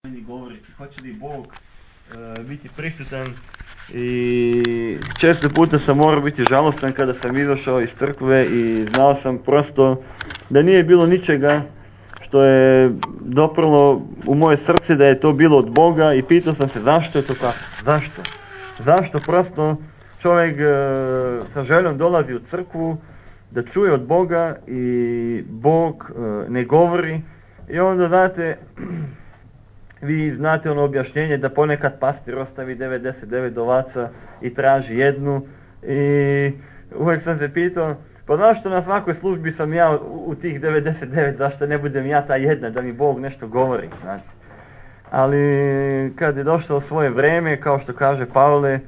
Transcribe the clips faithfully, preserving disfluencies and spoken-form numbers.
meni govoriti, hoće li Bog uh, biti prisutan. I često puta sam morao biti žalostan kada sam izašao iz crkve i znao sam prosto da nije bilo ničega što je doprlo u moje srce da je to bilo od Boga i pitao sam se zašto je to tako, zašto? Zašto prosto čovjek uh, sa željom dolazi u crkvu da čuje od Boga i Bog uh, ne govori i onda znate, vi znate ono objašnjenje da ponekad pastir ostavi devedeset devet ovaca i traži jednu i uvijek sam se pitao pa zašto na svakoj službi sam ja u, u tih devedeset devet, zašto ne budem ja ta jedna da mi Bog nešto govori, znate. Ali kad je došlo svoje vrijeme, kao što kaže Pavle,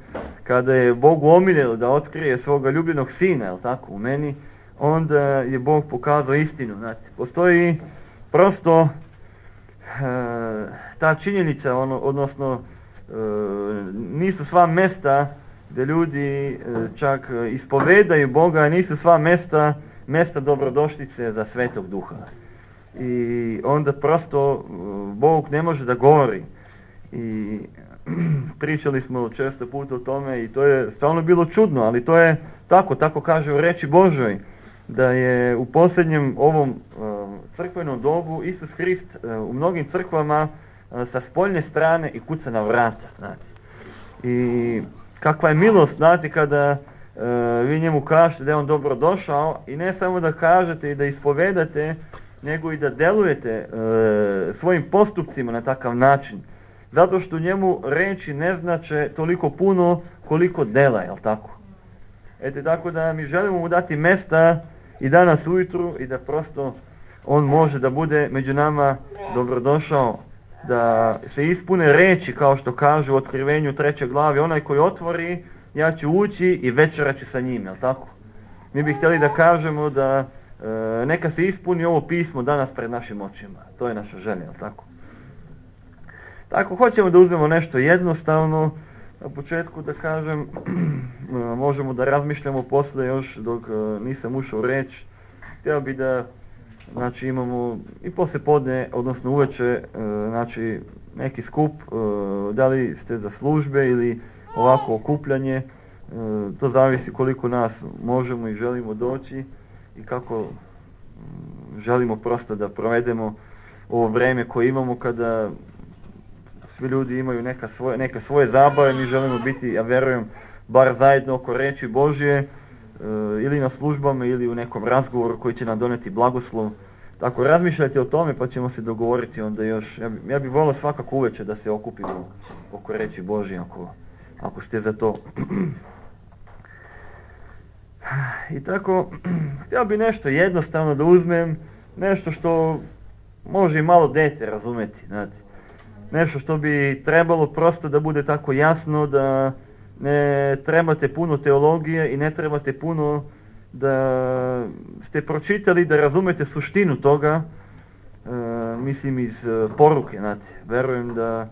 kada je Bogu omiljelo da otkrije svoga ljubljenog sina, jel tako, u meni, onda je Bog pokazao istinu, znate. Postoji prosto e, ta činjenica, ono, odnosno e, nisu sva mjesta gdje ljudi e, čak ispovedaju Boga, nisu sva mjesta, mjesta dobrodošlice za Svetog Duha. I onda prosto Bog ne može da govori. I pričali smo često puta o tome i to je stvarno bilo čudno, ali to je tako, tako kaže u reči Božoj, da je u posljednjem ovom uh, crkvenom dobu Isus Hrist uh, u mnogim crkvama uh, sa spoljne strane i kuca na vrata, znate. I kakva je milost, znate, kada uh, vi njemu kažete da je on dobro došao i ne samo da kažete i da ispovedate, nego i da delujete e, svojim postupcima na takav način. Zato što njemu reči ne znače toliko puno koliko dela, jel tako? Ete, tako da mi želimo mu dati mjesta i danas ujutru i da prosto on može da bude među nama dobrodošao, da se ispune reči kao što kaže u Otkrivenju trećoj glavi, onaj koji otvori, ja ću ući i večerat ću sa njim, jel tako? Mi bi htjeli da kažemo da E, neka se ispuni ovo pismo danas pred našim očima. To je naša želja, jel tako? Tako, hoćemo da uzmemo nešto jednostavno. Na početku da kažem, možemo da razmišljamo poslije još dok e, nisam ušao u reč. Htio bi da, znači, imamo i poslije podne, odnosno uveče, e, znači, neki skup, e, da li ste za službe ili ovako okupljanje. E, to zavisi koliko nas možemo i želimo doći i kako želimo prosto da provedemo ovo vrijeme koje imamo kada svi ljudi imaju neka svoje, neke svoje zabave, mi želimo biti, ja vjerujem, bar zajedno oko reči Božje e, ili na službama ili u nekom razgovoru koji će nam doneti blagoslov. Tako, razmišljajte o tome pa ćemo se dogovoriti onda još. Ja, bi, ja bih volio svakako uveče da se okupimo oko reči Božje ako, ako ste za to. I tako, htio bi nešto jednostavno da uzmem, nešto što može i malo dete razumjeti, znate. Nešto što bi trebalo prosto da bude tako jasno, da ne trebate puno teologije i ne trebate puno da ste pročitali, da razumete suštinu toga, e, mislim iz e, poruke, znate. Verujem da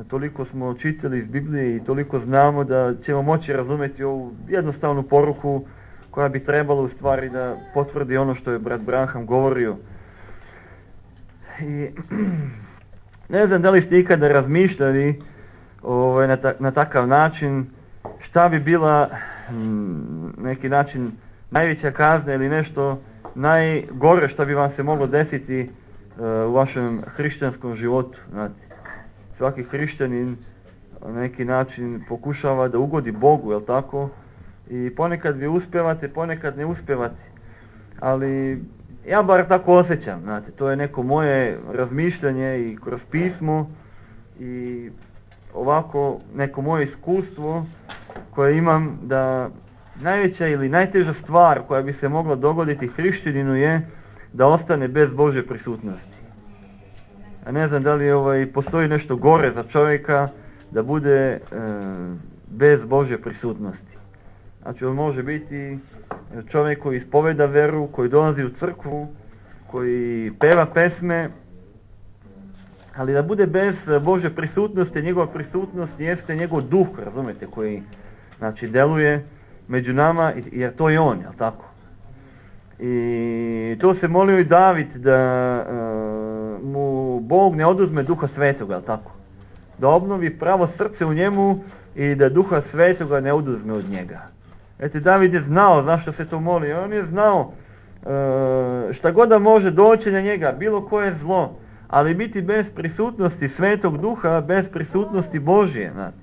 toliko smo čitali iz Biblije i toliko znamo da ćemo moći razumjeti ovu jednostavnu poruku koja bi trebala u stvari da potvrdi ono što je brat Branham govorio. I ne znam da li ste ikada razmišljali ovaj, na, ta, na takav način šta bi bila m, neki način najveća kazna ili nešto najgore što bi vam se moglo desiti uh, u vašem hrišćanskom životu. Znate, svaki hrišćanin na neki način pokušava da ugodi Bogu, jel tako? I ponekad vi uspjevate, ponekad ne uspjevate. Ali ja bar tako osjećam, znate, to je neko moje razmišljanje i kroz pismo i ovako neko moje iskustvo koje imam da najveća ili najteža stvar koja bi se mogla dogoditi hrišćaninu je da ostane bez Božje prisutnosti. A ne znam da li ovaj, postoji nešto gore za čovjeka da bude e, bez Božje prisutnosti. Znači, on može biti čovjek koji ispoveda veru, koji dolazi u crkvu, koji peva pesme, ali da bude bez Božje prisutnosti, njegova prisutnost jeste njegov duh, razumijete, koji, znači, deluje među nama, jer to je on, jel tako? I to se molio i David da uh, mu Bog ne oduzme Duha Svetoga, jel tako? Da obnovi pravo srce u njemu i da Duha Svetoga ne oduzme od njega. Eto, David je znao zašto se to moli. On je znao e, šta god da može doći na njega, bilo koje zlo, ali biti bez prisutnosti Svetog Duha, bez prisutnosti Božje, znate,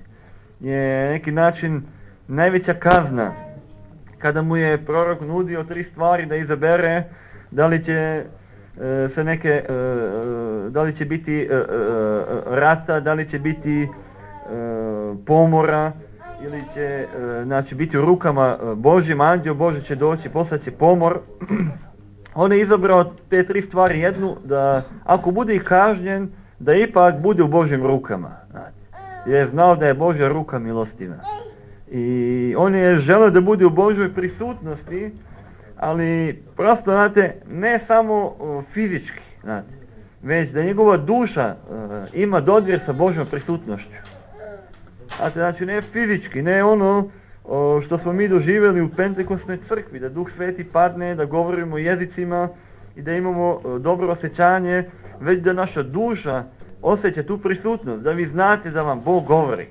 je neki način najveća kazna. Kada mu je prorok nudio tri stvari da izabere, da li će e, se neke, e, da li će biti e, e, rata, da li će biti e, pomora, ili će e, znači, biti u rukama Božjim, anđeo Bože će doći, poslaće pomor. On je izabrao te tri stvari, jednu, da ako bude i kažnjen, da ipak bude u Božjim rukama. Znači, jer je znao da je Božja ruka milostiva. I on je želeo da bude u Božjoj prisutnosti, ali prosto, znate, ne samo uh, fizički, znate, već da njegova duša uh, ima dodir sa Božjom prisutnošću. Znate, znači ne fizički, ne ono uh, što smo mi doživjeli u Pentekostnoj crkvi, da Duh Sveti padne, da govorimo jezicima i da imamo uh, dobro osjećanje, već da naša duša osjeća tu prisutnost, da vi znate da vam Bog govori.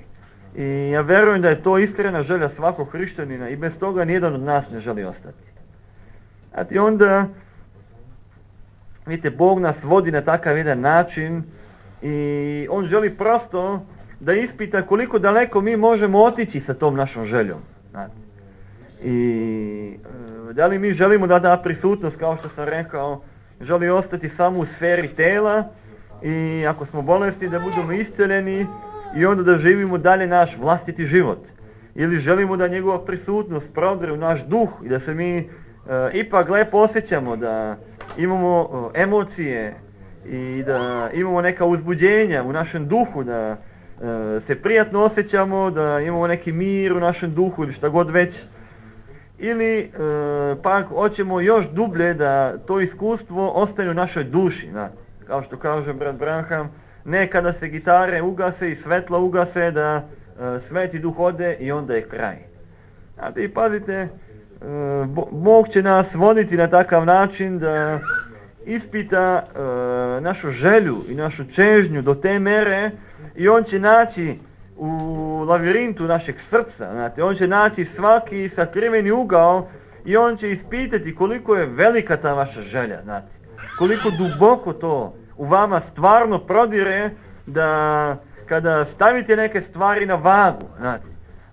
I ja vjerujem da je to iskrena želja svakog hrišćanina i bez toga nijedan od nas ne želi ostati. Znate, onda, vidite, Bog nas vodi na takav jedan način i On želi prosto da ispita koliko daleko mi možemo otići sa tom našom željom. Znate. I da li mi želimo da da prisutnost, kao što sam rekao, želi ostati samo u sferi tela i ako smo bolesni da budemo isceljeni i onda da živimo dalje naš vlastiti život. Ili želimo da njegova prisutnost prodre u naš duh i da se mi e, ipak lepo osjećamo, da imamo e, emocije i da imamo neka uzbuđenja u našem duhu, da e, se prijatno osjećamo, da imamo neki mir u našem duhu ili šta god već. Ili e, pak hoćemo još dublje da to iskustvo ostane u našoj duši. Znate, kao što kaže brat Branham, ne kada se gitare ugase i svetla ugase, da e, Sveti Duh ode i onda je kraj. Znate, i pazite, e, Bog će nas voditi na takav način da ispita e, našu želju i našu čežnju do te mere i On će naći u lavirintu našeg srca, znate, On će naći svaki sakriveni ugao i On će ispitati koliko je velika ta vaša želja, znate, koliko duboko to u vama stvarno prodire, da kada stavite neke stvari na vagu, znate,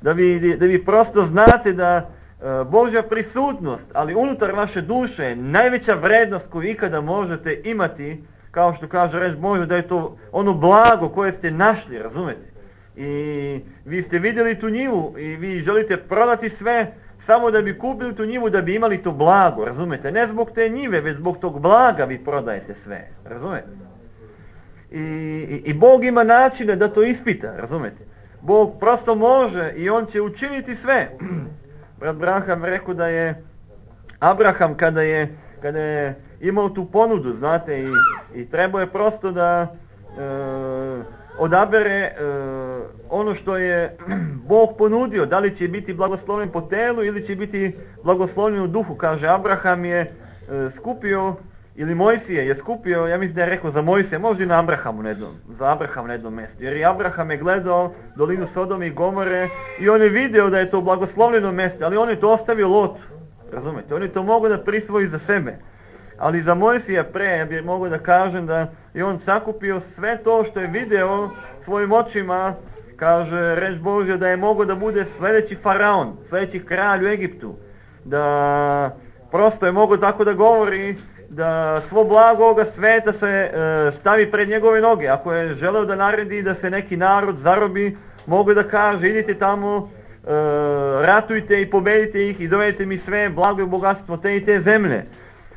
da vi, da vi prosto znate da e, Božja prisutnost, ali unutar vaše duše je najveća vrednost koju ikada možete imati, kao što kaže reč Božja, da je to ono blago koje ste našli, razumete? I vi ste vidjeli tu njivu i vi želite prodati sve samo da bi kupili tu njivu, da bi imali to blago, razumete? Ne zbog te njive, već zbog tog blaga vi prodajete sve, razumete? I, i, i Bog ima načine da to ispita, razumete? Bog prosto može i On će učiniti sve. Brat Branham rekao da je Abraham kada je, kada je imao tu ponudu, znate, i, i trebao je prosto da e, odabere e, ono što je Bog ponudio, da li će biti blagoslovljen po telu ili će biti blagoslovljen u duhu. Kaže, Abraham je e, skupio, ili Mojsije je skupio, ja mislim da je rekao za Mojsije, možda i na Abrahamu na jednom, za Abraham na jednom mjestu. Jer i Abraham je gledao dolinu Sodome i Gomore i on je video da je to blagoslovljeno mjesto, ali on je to ostavio Lotu, razumete? On je to mogao da prisvoji za sebe. Ali za Mojsija pre, ja bih mogao da kažem da je on sakupio sve to što je video svojim očima, kaže reč Božja, da je mogao da bude sljedeći faraon, sljedeći kralj u Egiptu, da prosto je mogao tako da govori, da svo blago ovoga sveta se e, stavi pred njegove noge. Ako je želeo da naredi da se neki narod zarobi, mogu da kaže, idite tamo, e, ratujte i pobedite ih i dovedite mi sve blago i bogatstvo te i te zemlje.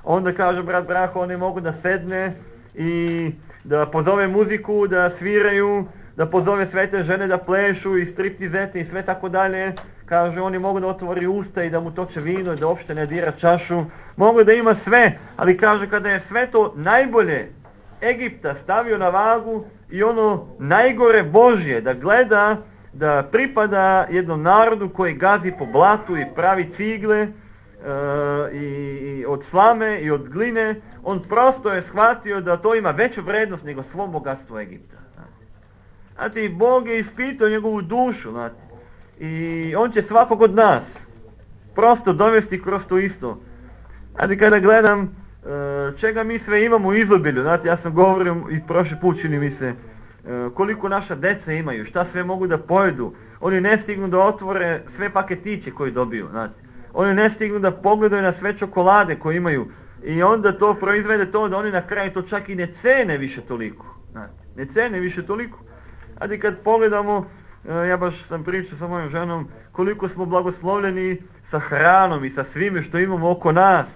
Onda kaže brat Braho, oni mogu da sedne i da pozove muziku, da sviraju, da pozove sve te žene da plešu i striptizete i sve tako dalje. Kaže, oni mogu da otvori usta i da mu toče vino i da uopšte ne dira čašu. Mogu da ima sve, ali kaže, kada je sve to najbolje Egipta stavio na vagu i ono najgore Božje, da gleda, da pripada jednom narodu koji gazi po blatu i pravi cigle i, i od slame i od gline, on prosto je shvatio da to ima veću vrednost nego svo bogatstvo Egipta. Znate, i Bog je ispitao njegovu dušu, znate, i on će svakog od nas prosto dovesti kroz to isto. Znate, kada gledam čega mi sve imamo u izobilju, znate, ja sam govorio i prošli put, čini mi se, koliko naša deca imaju, šta sve mogu da pojedu. Oni ne stignu da otvore sve paketiće koje dobiju, znate. Oni ne stignu da pogledaju na sve čokolade koje imaju. I onda to proizvede to da oni na kraju to čak i ne cene više toliko. Znate, ne cene više toliko. Znate, kad pogledamo, ja baš sam pričao sa mojom ženom, koliko smo blagoslovljeni sa hranom i sa svime što imamo oko nas.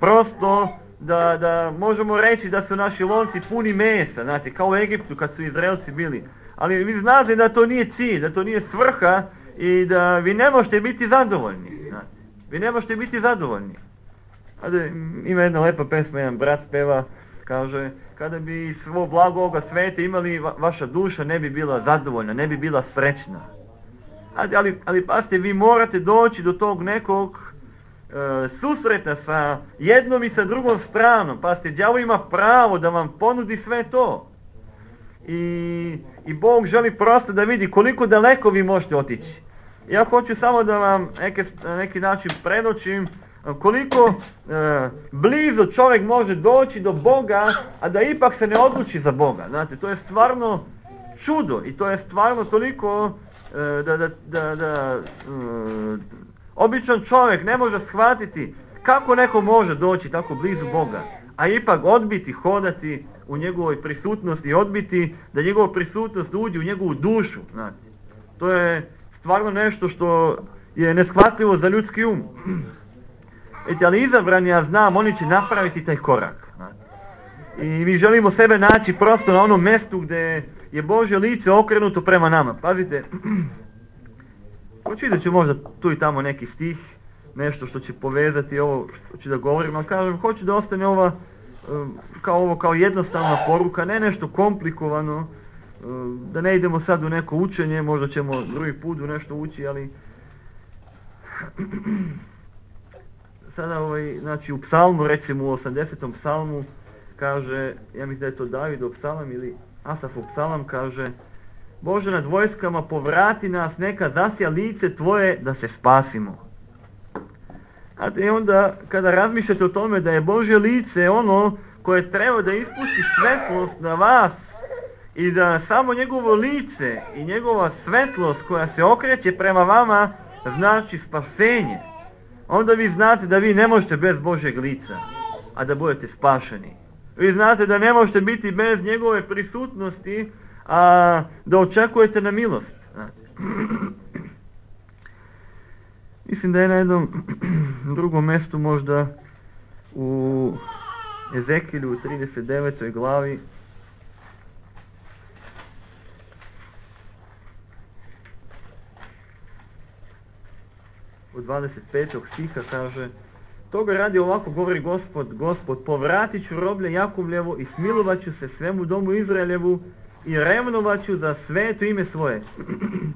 Prosto da, da možemo reći da su naši lonci puni mesa, znate, kao u Egiptu kad su Izraelci bili. Ali vi znate da to nije cilj, da to nije svrha i da vi ne možete biti zadovoljni. Znate. Vi ne možete biti zadovoljni. Znate, ima jedna lepa pesma, jedan brat peva, kaže, kada bi svo blago ovoga sveta imali, va, vaša duša ne bi bila zadovoljna, ne bi bila srećna. Znate, ali, ali pasite, vi morate doći do tog nekog e, susreta sa jednom i sa drugom stranom. Pasite, đavo ima pravo da vam ponudi sve to. I, i Bog želi prosto da vidi koliko daleko vi možete otići. Ja hoću samo da vam neke, na neki način predočim koliko e, blizu čovjek može doći do Boga, a da ipak se ne odluči za Boga. Znate, to je stvarno čudo i to je stvarno toliko e, da, da, da, da e, običan čovjek ne može shvatiti kako neko može doći tako blizu Boga, a ipak odbiti hodati u njegovoj prisutnosti i odbiti da njegova prisutnost uđe u njegovu dušu. Znate. To je stvarno nešto što je neshvatljivo za ljudski um. Eti, ali izabrani, ja znam, oni će napraviti taj korak. Znate. I mi želimo sebe naći prosto na onom mjestu gdje je Božje lice okrenuto prema nama. Pazite, pročitat ću možda tu i tamo neki stih, nešto što će povezati ovo što ću da govorim, ali kažem, hoću da ostane ova kao ovo, kao jednostavna poruka, ne nešto komplikovano, da ne idemo sad u neko učenje, možda ćemo drugi put u nešto ući, ali sada ovaj, znači u psalmu, recimo u osamdesetom psalmu, kaže, ja mislim da je to Davidov psalam ili Asafov psalam, kaže, Bože nad vojskama povrati nas, neka zasja lice Tvoje da se spasimo. A i onda kada razmišljate o tome da je Božje lice ono koje treba da ispusti svetlost na vas i da samo njegovo lice i njegova svetlost koja se okreće prema vama znači spasenje, onda vi znate da vi ne možete bez Božjeg lica, a da budete spašeni. Vi znate da ne možete biti bez njegove prisutnosti, a da očekujete na milost. Mislim da je na jednom drugom mjestu, možda u Ezekilju u trideset devetoj glavi, u dvadeset petog stiha kaže, toga radi ovako govori Gospod, Gospod, povratit ću roblje Jakovljevo i smilovat ću se svemu domu Izraeljevu i revnovat ću za sveto ime svoje,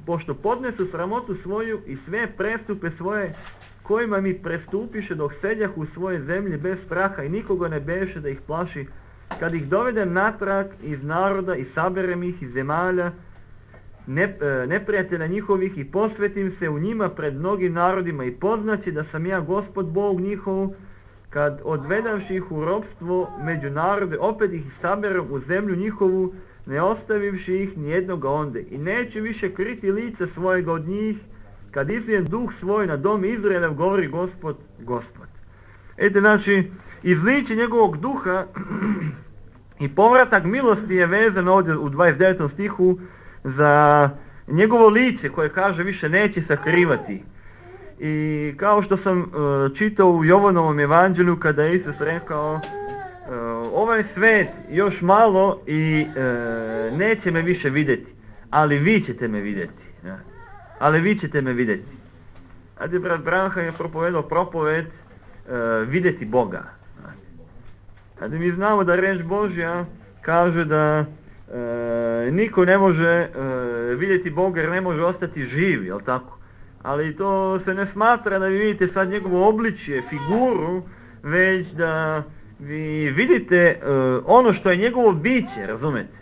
pošto podnesu sramotu svoju i sve prestupe svoje, kojima mi prestupiše dok seđah u svoje zemlje bez straha i nikoga ne beše da ih plaši, kad ih dovedem natrag iz naroda i saberem ih iz zemalja, ne, neprijatelja njihovih i posvetim se u njima pred mnogim narodima i poznaće da sam ja Gospod Bog njihov, kad odvedavši ih u ropstvo među narode, opet ih saberem u zemlju njihovu, ne ostavivši ih nijednoga onde. I neće više kriti lice svojega od njih, kad izlijem duh svoj na dom Izraelev, govori Gospod, Gospod. Ete, znači, izliće njegovog duha i povratak milosti je vezan ovdje u dvadeset devetom stihu za njegovo lice koje kaže više neće sakrivati. I kao što sam uh, čitao u Jovanovom evanđelju kada je Isus rekao, uh, ovaj svet još malo i uh, neće me više vidjeti, ali vi ćete me vidjeti. Ja. Ali vi ćete me vidjeti. A gdje brat Branham je propovedao propoved uh, vidjeti Boga. A da mi znamo da reč Božja kaže da uh, niko ne može uh, vidjeti Boga jer ne može ostati živ, jel tako? Ali to se ne smatra da vi vidite sad njegovo obličje, figuru, već da vi vidite uh, ono što je njegovo biće, razumete,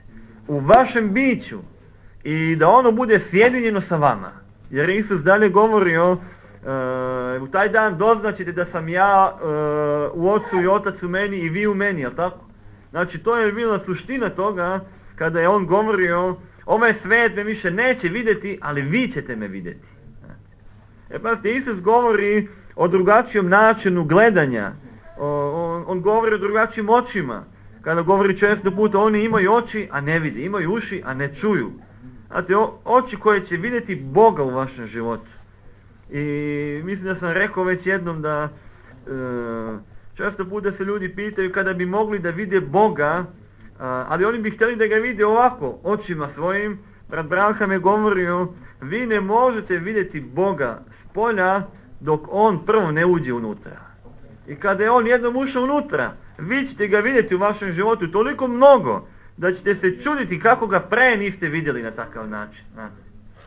u vašem biću i da ono bude sjedinjeno sa vama. Jer Isus dalje govorio, uh, u taj dan doznaćete da sam ja uh, u Ocu i Otac u meni i vi u meni, jel tako? Znači to je bila suština toga kada je on govorio, ovaj svijet me više neće vidjeti, ali vi ćete me vidjeti. E pa Isus govori o drugačijem načinu gledanja, o, on, on govori o drugačijim očima. Kada govori često puta, oni imaju oči, a ne vidi, imaju uši, a ne čuju. Znate, o, oči koje će vidjeti Boga u vašem životu. I mislim da sam rekao već jednom da e, često puta se ljudi pitaju kada bi mogli da vide Boga, a, ali oni bi htjeli da ga vide ovako, očima svojim. Brat Branham je govorio, vi ne možete vidjeti Boga s polja dok on prvo ne uđe unutra. I kada je on jednom ušao unutra, vi ćete ga vidjeti u vašem životu toliko mnogo da ćete se čuditi kako ga pre niste vidjeli na takav način.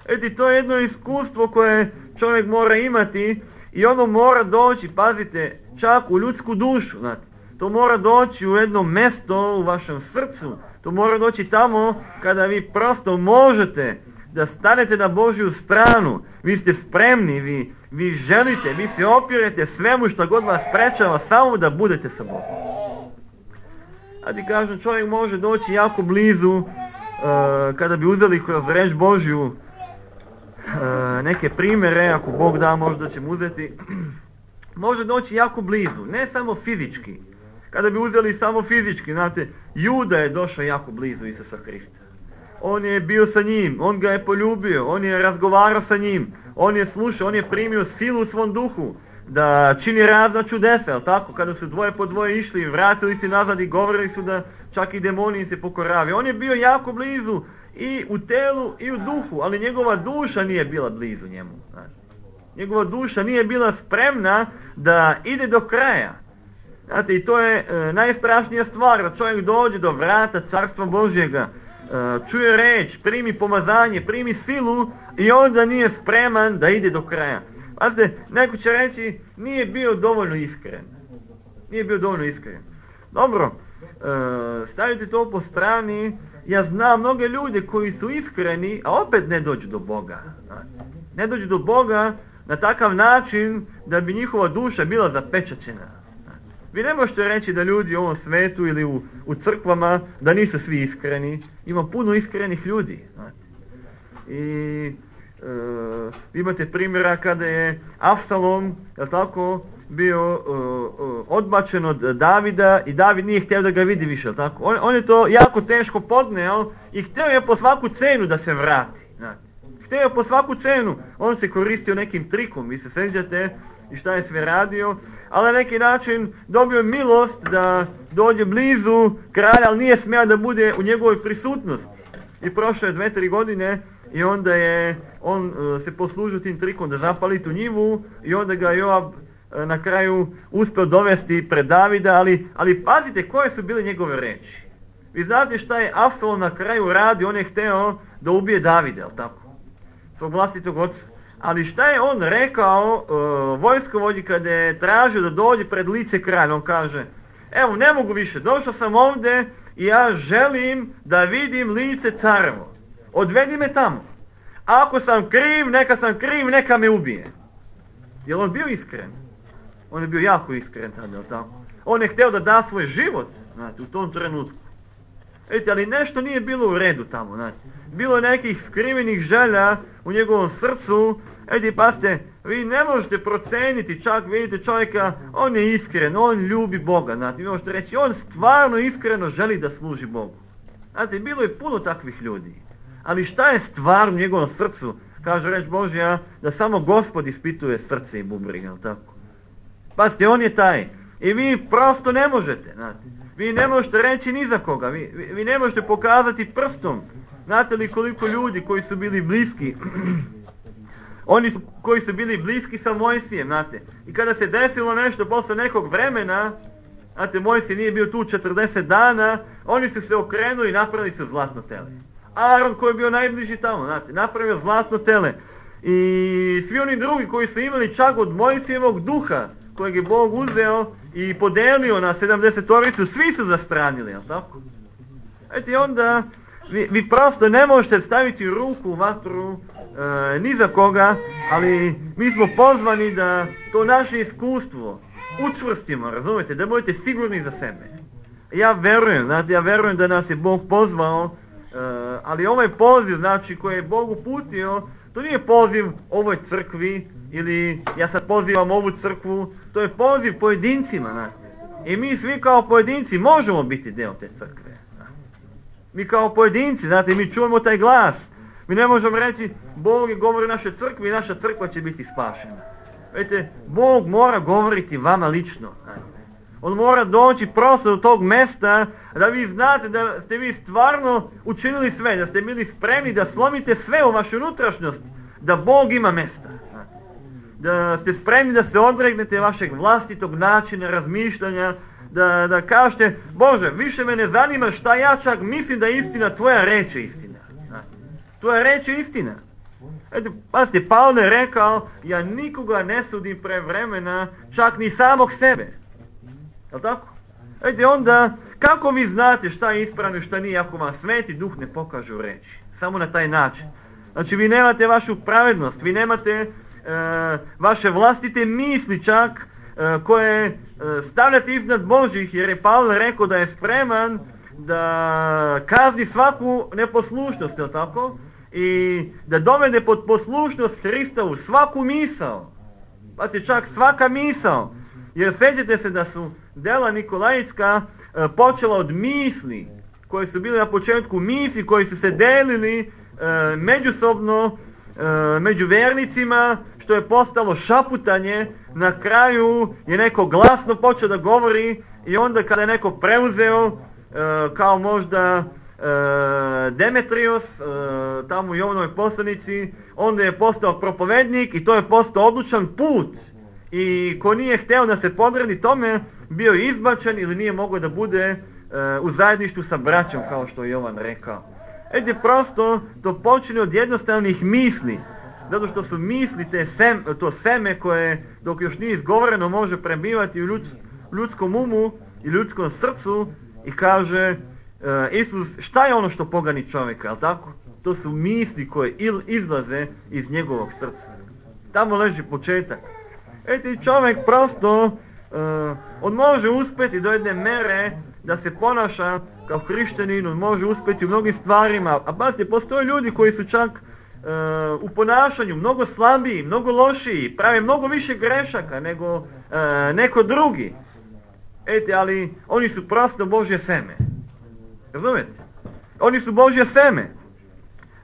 Eti, to je jedno iskustvo koje čovjek mora imati i ono mora doći, pazite, čak u ljudsku dušu. Znate. To mora doći u jedno mjesto u vašem srcu. To mora doći tamo kada vi prosto možete da stanete na Božju stranu. Vi ste spremni, vi, vi želite, vi se opirete svemu što god vas sprečava samo da budete sa Bogom. A ti kažem, čovjek može doći jako blizu uh, kada bi uzeli kroz reč Božju uh, neke primjere, ako Bog da možda ćemo uzeti, može doći jako blizu, ne samo fizički. Kada bi uzeli samo fizički, znate, Juda je došao jako blizu Isusa Hrista. On je bio sa njim, on ga je poljubio, on je razgovarao sa njim, on je slušao, on je primio silu u svom duhu da čini razna čudesa, jel tako? Kada su dvoje po dvoje išli, vratili se nazad i govorili su da čak i demoni se pokoravaju. On je bio jako blizu i u telu i u duhu, ali njegova duša nije bila blizu njemu. Znači. Njegova duša nije bila spremna da ide do kraja. Znate, i to je e, najstrašnija stvar, da čovjek dođe do vrata Carstva Božjega, e, čuje reč, primi pomazanje, primi silu i onda nije spreman da ide do kraja. Pazite, neko će reći, nije bio dovoljno iskren. Nije bio dovoljno iskren. Dobro, e, stavite to po strani. Ja znam mnoge ljude koji su iskreni, a opet ne dođu do Boga. Ne dođu do Boga na takav način da bi njihova duša bila zapečaćena. Vi ne možete reći da ljudi u ovom svetu ili u, u crkvama da nisu svi iskreni. Ima puno iskrenih ljudi. I Uh, imate primjera kada je Avsalom, jel tako, bio uh, uh, odbačen od Davida i David nije htio da ga vidi više, jel tako. On, on je to jako teško podneo i htio je po svaku cenu da se vrati. Znate. Htio je po svaku cenu. On se koristio nekim trikom, vi se sjećate i šta je sve radio, ali na neki način dobio milost da dođe blizu kralja, ali nije smio da bude u njegovoj prisutnosti. I prošlo je dve, tri godine i onda je on uh, se poslužio tim trikom da zapali tu njivu i onda ga Joab uh, na kraju uspio dovesti pred Davida, ali, ali pazite koje su bile njegove reči. Vi znate šta je Avsalom na kraju radio, on je hteo da ubije Davida, jel tako? Svog vlastitog oca. Ali šta je on rekao uh, vojskovođi kada je tražio da dođe pred lice kralja? On kaže, evo ne mogu više, došao sam ovdje i ja želim da vidim lice carevo. Odvedi me tamo. Ako sam kriv, neka sam kriv, neka me ubije. Je li on bio iskren? On je bio jako iskren tada, jel tako? On je htio da da svoj život, znate, u tom trenutku. Vidite, ali nešto nije bilo u redu tamo, znate. Bilo je nekih skrivenih želja u njegovom srcu. Vidite, pasite, vi ne možete proceniti, čak vidite čovjeka, on je iskren, on ljubi Boga, znate. Vi možete reći, on stvarno iskreno želi da služi Bogu. Znate, bilo je puno takvih ljudi. Ali šta je stvar u njegovom srcu? Kaže reč Božja da samo Gospod ispituje srce i bubrege, jel tako? Pazite, on je taj. I vi prosto ne možete, znate. Vi ne možete reći ni za koga. Vi, vi, vi ne možete pokazati prstom. Znate li koliko ljudi koji su bili bliski? Oni su, koji su bili bliski sa Mojsijem, znate. I kada se desilo nešto posle nekog vremena, znate, Mojsij nije bio tu četrdeset dana, oni su se okrenuli i napravili su zlatno tele. Aaron koji je bio najbliži tamo, znate, napravio zlatno tele. i svi oni drugi koji su imali čak od Mojsijevog duha, kojeg je Bog uzeo i podelio na sedamdesetoricu, svi su zastranili, jel tako? Eto i onda vi, vi prosto ne možete staviti ruku u vatru e, ni za koga, ali mi smo pozvani da to naše iskustvo učvrstimo, razumijete, da budete sigurni za sebe. Ja verujem, znate, ja verujem da nas je Bog pozvao, e, ali ovaj poziv, znači, koji je Bog uputio, to nije poziv ovoj crkvi, ili ja sad pozivam ovu crkvu, to je poziv pojedincima, znate. I mi svi kao pojedinci možemo biti dio te crkve. Znate. Mi kao pojedinci, znate, mi čujemo taj glas. Mi ne možemo reći, Bog je govori našoj crkvi i naša crkva će biti spašena. Vidite, Bog mora govoriti vama lično. Znate. On mora doći prosto do tog mjesta da vi znate da ste vi stvarno učinili sve, da ste bili spremni da slomite sve u vašu unutrašnjost, da Bog ima mjesta. Da ste spremni da se odregnete vašeg vlastitog načina razmišljanja, da, da kažete, Bože, više me ne zanima šta ja čak mislim da je istina, tvoja reč je istina. Tvoja reč je istina. Eto, pazite, Pavle je rekao, ja nikoga ne sudim pre vremena, čak ni samog sebe. Jel' tako? Eto, onda, kako vi znate šta je ispravno i šta nije, ako vam Sveti Duh ne pokaže u reči? Samo na taj način. Znači, vi nemate vašu pravednost, vi nemate e, vaše vlastite misli čak, e, koje e, stavljate iznad Božih, jer je Pavle rekao da je spreman da kazni svaku neposlušnost, jel' tako? I da dovede pod poslušnost Hristovu svaku misao. Pa se čak svaka misao. Jer sjećate se da su dela Nikolajitska e, počela od misli, koje su bile na početku misli, koji su se delili e, međusobno, e, među vernicima, što je postalo šaputanje. Na kraju je neko glasno počeo da govori i onda kada je neko preuzeo, e, kao možda e, Demetrios, e, tamo u Jovanovoj poslanici, onda je postao propovednik i to je postao odlučan put. I ko nije hteo da se podredi tome, bio je izbačen ili nije mogao da bude e, u zajedništvu sa braćom, kao što je Jovan rekao. Ede, prosto to počinje od jednostavnih misli, zato što su misli te sem, to seme koje dok još nije izgovoreno može prebivati u ljuds, ljudskom umu i ljudskom srcu i kaže e, Isus, šta je ono što pogani čovjeka, jel' tako? To su misli koje il, izlaze iz njegovog srca. Tamo leži početak. Eto, čovjek prosto, uh, on može uspjeti do jedne mere da se ponaša kao hrišćanin, on može uspjeti u mnogim stvarima, a pazite, postoje ljudi koji su čak uh, u ponašanju mnogo slabiji, mnogo lošiji, prave mnogo više grešaka nego uh, neko drugi. Eto, ali oni su prosto Božje seme. Razumijete? Oni su Božje seme.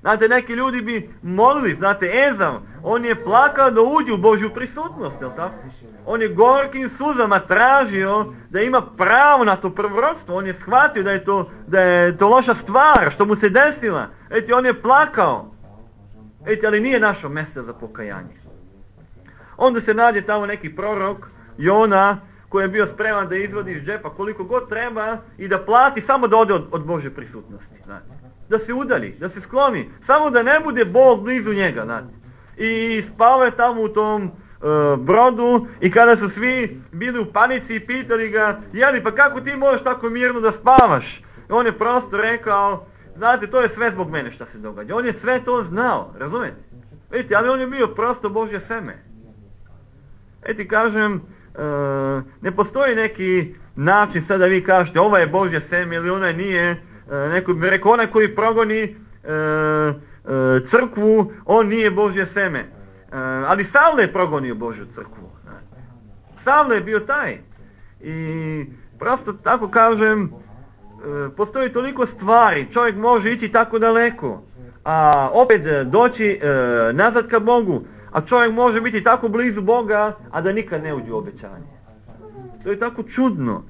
Znate, neki ljudi bi molili, znate, Ezav, on je plakao da uđe u Božju prisutnost, jel' tako? On je gorkim suzama tražio da ima pravo na to prvorodstvo, on je shvatio da je to, da je to loša stvar, što mu se desila. Eti, on je plakao. Eti, ali nije našao mjesta za pokajanje. Onda se nađe tamo neki prorok, Jona, koji je bio spreman da izvodi iz džepa koliko god treba i da plati samo da ode od, od Božje prisutnosti, znate. Da se udalji, da se skloni, samo da ne bude Bog blizu njega, znate. I spao je tamo u tom e, brodu i kada su svi bili u panici i pitali ga, jeli, pa kako ti možeš tako mirno da spavaš? I on je prosto rekao, znate, to je sve zbog mene šta se događa. On je sve to znao, razumijete? Vidite, ali on je bio prosto Božje seme. Eti kažem, e, ne postoji neki način sad da vi kažete, ova je Božje seme ili ona nije. Neko bi rekao, onaj koji progoni e, e, crkvu, on nije Božje seme. E, ali Savle je progonio Božju crkvu. Savle je bio taj. I prosto tako kažem, e, postoji toliko stvari, čovjek može ići tako daleko, a opet doći e, nazad ka Bogu, a čovjek može biti tako blizu Boga, a da nikad ne uđe u obećanje. To je tako čudno.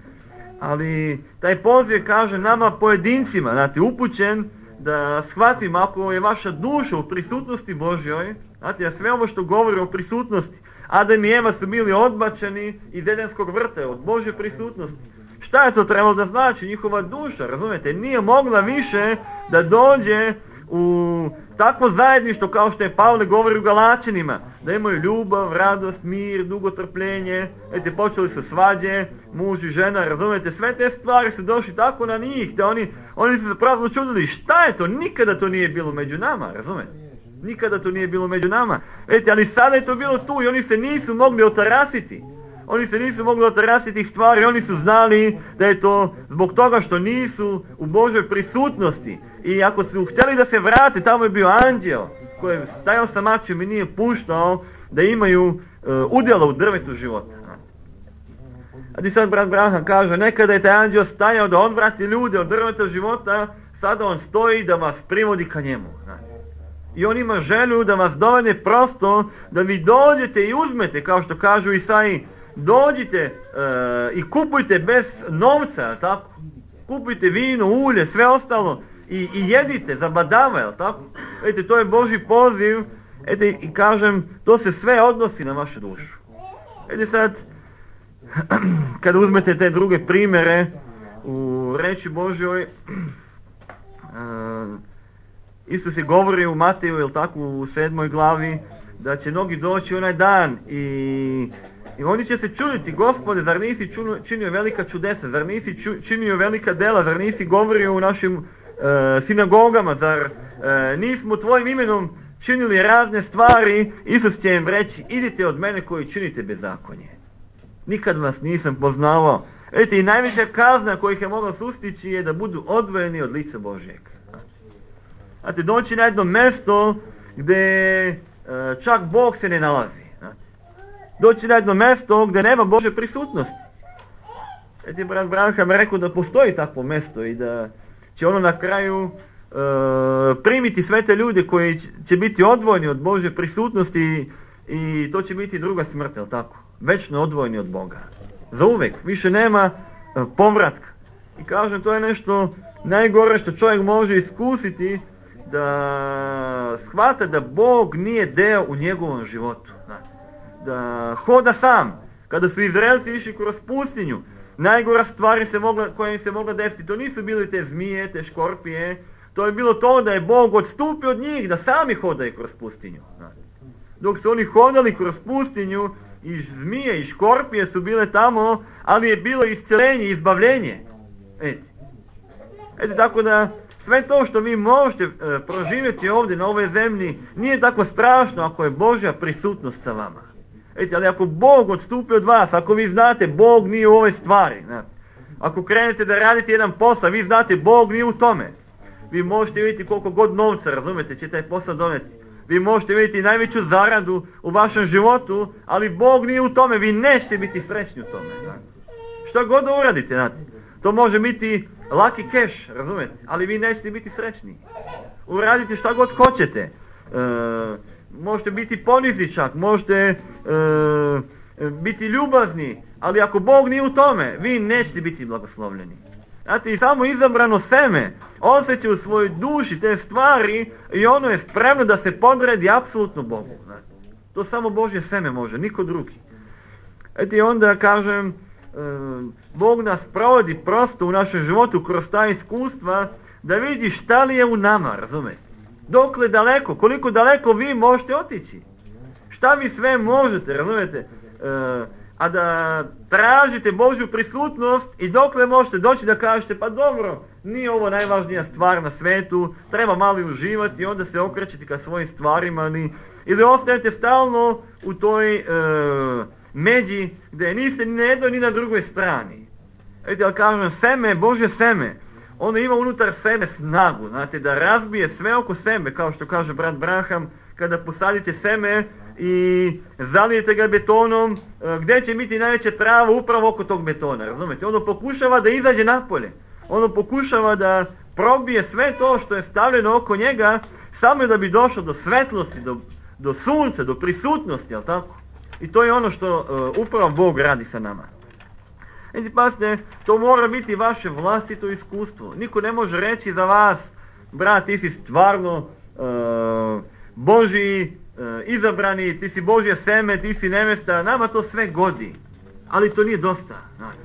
Ali taj poziv kaže nama pojedincima, znate, upućen da shvatimo ako je vaša duša u prisutnosti Božjoj, znate, a sve ovo što govori o prisutnosti, Adam i Eva su bili odbačeni iz Edenskog vrta, od Božje prisutnosti. Šta je to trebalo da znači? Njihova duša, razumijete, nije mogla više da dođe u takvo zajedništvo kao što je Pavle govori u Galačanima, da imaju ljubav, radost, mir, dugotrpljenje, ete počeli su svađe, muž i žena, razumijete, sve te stvari su došli tako na njih, da oni, oni su zapravo čudili šta je to, nikada to nije bilo među nama, razumijete, nikada to nije bilo među nama, ete, ali sada je to bilo tu i oni se nisu mogli otarasiti. Oni se nisu mogli otarasiti tih stvari, oni su znali da je to zbog toga što nisu u Božoj prisutnosti. I ako su htjeli da se vrate, tamo je bio anđel koji je stajao sa mačem i nije puštao da imaju uh, udjela u drvetu života. A ti sad brat Branham kaže, nekada je taj anđel stajao da odvrati ljude od drveta života, sada on stoji da vas privodi ka njemu. I on ima želju da vas dovede prosto, da vi dođete i uzmete, kao što kažu Isaiji, dođite uh, i kupujte bez novca, tako? Kupujte vino, ulje, sve ostalo i, i jedite, zabadava, jel tako? Vidite, to je Božji poziv, ete, i kažem, to se sve odnosi na vašu dušu. Vidite sad, kada uzmete te druge primjere u reči Božjoj, uh, Isus je govori u Mateju, jel tako, u sedmoj glavi, da će mnogi doći onaj dan i I oni će se čuditi, Gospode, zar nisi činio velika čudesa, zar nisi činio velika dela, zar nisi govorio u našim e, sinagogama, zar e, nismo tvojim imenom činili razne stvari. Isus će im reći, idite od mene koji činite bezakonje. Nikad vas nisam poznavao. Vidite, i najveća kazna kojih je mogla sustići je da budu odvojeni od lica Božjeg. Znate, doći na jedno mjesto gdje e, čak Bog se ne nalazi. Doći na jedno mjesto gdje nema Božje prisutnosti. Eti brat Branham rekao da postoji takvo mjesto i da će ono na kraju e, primiti sve te ljude koji će biti odvojeni od Božje prisutnosti i, i to će biti druga smrt, jel tako? Večno odvojeni od Boga. Za uvijek. Više nema e, povratka. I kažem, to je nešto najgore što čovjek može iskusiti, da shvata da Bog nije deo u njegovom životu. Da hoda sam. Kada su Izraelci išli kroz pustinju, najgora stvari se mogla, koja im se mogla desiti, to nisu bili te zmije, te škorpije, to je bilo to da je Bog odstupio od njih, da sami hodaju kroz pustinju. Dok su oni hodali kroz pustinju, i zmije i škorpije su bile tamo, ali je bilo isceljenje, izbavljenje. Eti. Eti, tako da sve to što vi možete e, proživjeti ovdje na ovoj zemlji nije tako strašno ako je Božja prisutnost sa vama. Eti, ali ako Bog odstupi od vas, ako vi znate Bog nije u ovoj stvari, ne? Ako krenete da radite jedan posao, vi znate Bog nije u tome. Vi možete vidjeti koliko god novca, razumete, će taj posao doneti. Vi možete vidjeti najveću zaradu u vašem životu, ali Bog nije u tome, vi nećete biti srećni u tome. Ne? Šta god da uradite, znate. To može biti lucky cash, razumete, ali vi nećete biti srećni. Uradite šta god hoćete. E, možete biti ponizni čak, možete e, biti ljubazni, ali ako Bog nije u tome, vi nećete biti blagoslovljeni. Znate, i samo izabrano seme osjeća u svojoj duši te stvari i ono je spremno da se podredi apsolutno Bogu. Znate. To samo Božje seme može, niko drugi. Eto, i onda kažem, Bog nas provodi prosto u našem životu kroz ta iskustva da vidi šta li je u nama, razumete? Dokle daleko, koliko daleko vi možete otići. Šta vi sve možete, razumete? A da tražite Božju prisutnost i dokle možete doći da kažete, pa dobro, nije ovo najvažnija stvar na svetu, treba malo uživati i onda se okrećete ka svojim stvarima, ni, ili ostajete stalno u toj e, međi gdje niste ni na jednoj ni na drugoj strani. Vidite, ali kažem, seme, Božje seme, ono ima unutar sebe snagu, znate, da razbije sve oko sebe, kao što kaže brat Branham, kada posadite seme i zalijete ga betonom, gdje će biti najveća trava upravo oko tog betona, razumete? Ono pokušava da izađe napolje, ono pokušava da probije sve to što je stavljeno oko njega, samo da bi došlo do svetlosti, do, do sunca, do prisutnosti, jel tako? I to je ono što uh, upravo Bog radi sa nama. Znači, pasite, to mora biti vaše vlastito iskustvo. Niko ne može reći za vas, brat, ti si stvarno uh, Božji uh, izabrani, ti si Božje seme, ti si nevesta, nama to sve godi. Ali to nije dosta. Znači.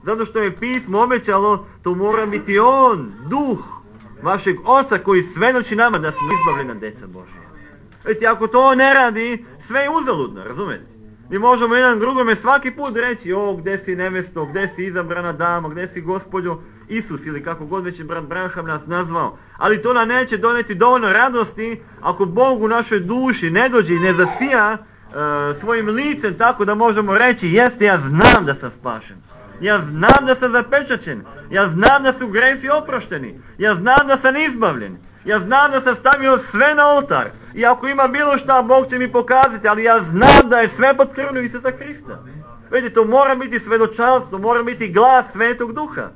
Zato što je pismo obećalo, to mora biti on, duh, vašeg Oca koji svedoči nama da smo izbavljena djeca Božja. Vidite, ako to ne radi, sve je uzaludno, razumete? Mi možemo jedan drugome svaki put reći, o, gdje si nevesto, gdje si izabrana dama, gdje si Gospodjo Isus ili kako god već je brat Branham nas nazvao. Ali to nam neće doneti dovoljno radosti ako Bog u našoj duši ne dođe i ne zasija uh, svojim licem tako da možemo reći, jeste, ja znam da sam spašen. Ja znam da sam zapečaćen. Ja znam da su gresi oprošteni. Ja znam da sam izbavljen. Ja znam da sam stavio sve na oltar. I ako ima bilo šta, Bog će mi pokazati, ali ja znam da je sve pod krvlju Isusa Krista. Vidite, to mora biti svedočanstvo, mora biti glas Svetog Duha.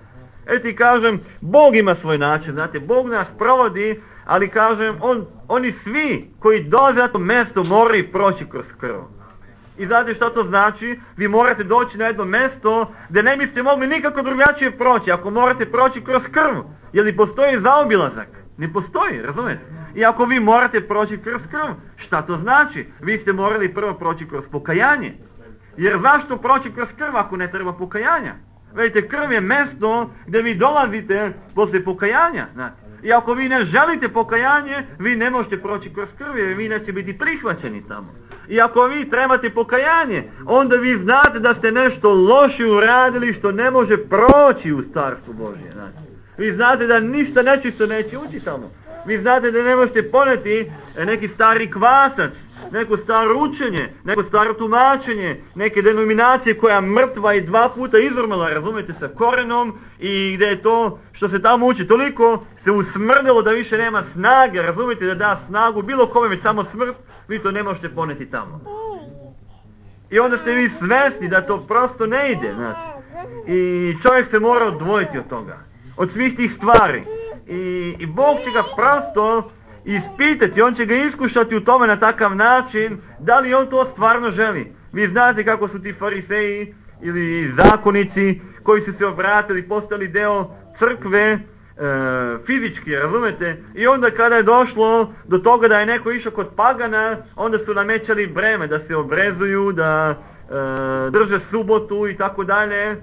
Evo ti kažem, Bog ima svoj način, znate, Bog nas provodi, ali kažem, on, oni svi koji dolaze na to mjesto moraju proći kroz krv. I znate što to znači? Vi morate doći na jedno mjesto gdje ne biste mogli nikako drugačije proći, ako morate proći kroz krv. Jer li postoji zaobilazak? Ne postoji, razumijete? I ako vi morate proći kroz krv, šta to znači? Vi ste morali prvo proći kroz pokajanje. Jer zašto proći kroz krv ako ne treba pokajanja? Vidite, krv je mjesto gdje vi dolazite poslije pokajanja. Znate. I ako vi ne želite pokajanje, vi ne možete proći kroz krv jer vi neće biti prihvaćeni tamo. I ako vi trebate pokajanje, onda vi znate da ste nešto loše uradili što ne može proći u Carstvu Božje. Znate. Vi znate da ništa nečisto neće ući tamo. Vi znate da ne možete poneti neki stari kvasac, neko staro učenje, neko staro tumačenje, neke denominacije koja je mrtva i dva puta izvrmala, razumijete, sa korenom i gdje je to što se tamo uči toliko se usmrdilo da više nema snage, razumijete, da da snagu bilo kome, već samo smrt, vi to ne možete poneti tamo. I onda ste vi svjesni da to prosto ne ide, znači. I čovjek se mora odvojiti od toga, od svih tih stvari. I, i Bog će ga prosto ispitati, on će ga iskušati u tome na takav način da li on to stvarno želi. Vi znate kako su ti fariseji ili zakonici koji su se obratili, postali deo crkve e, fizički, razumete? I onda kada je došlo do toga da je neko išao kod pagana, onda su namećali breme da se obrezuju, da e, drže subotu i tako dalje.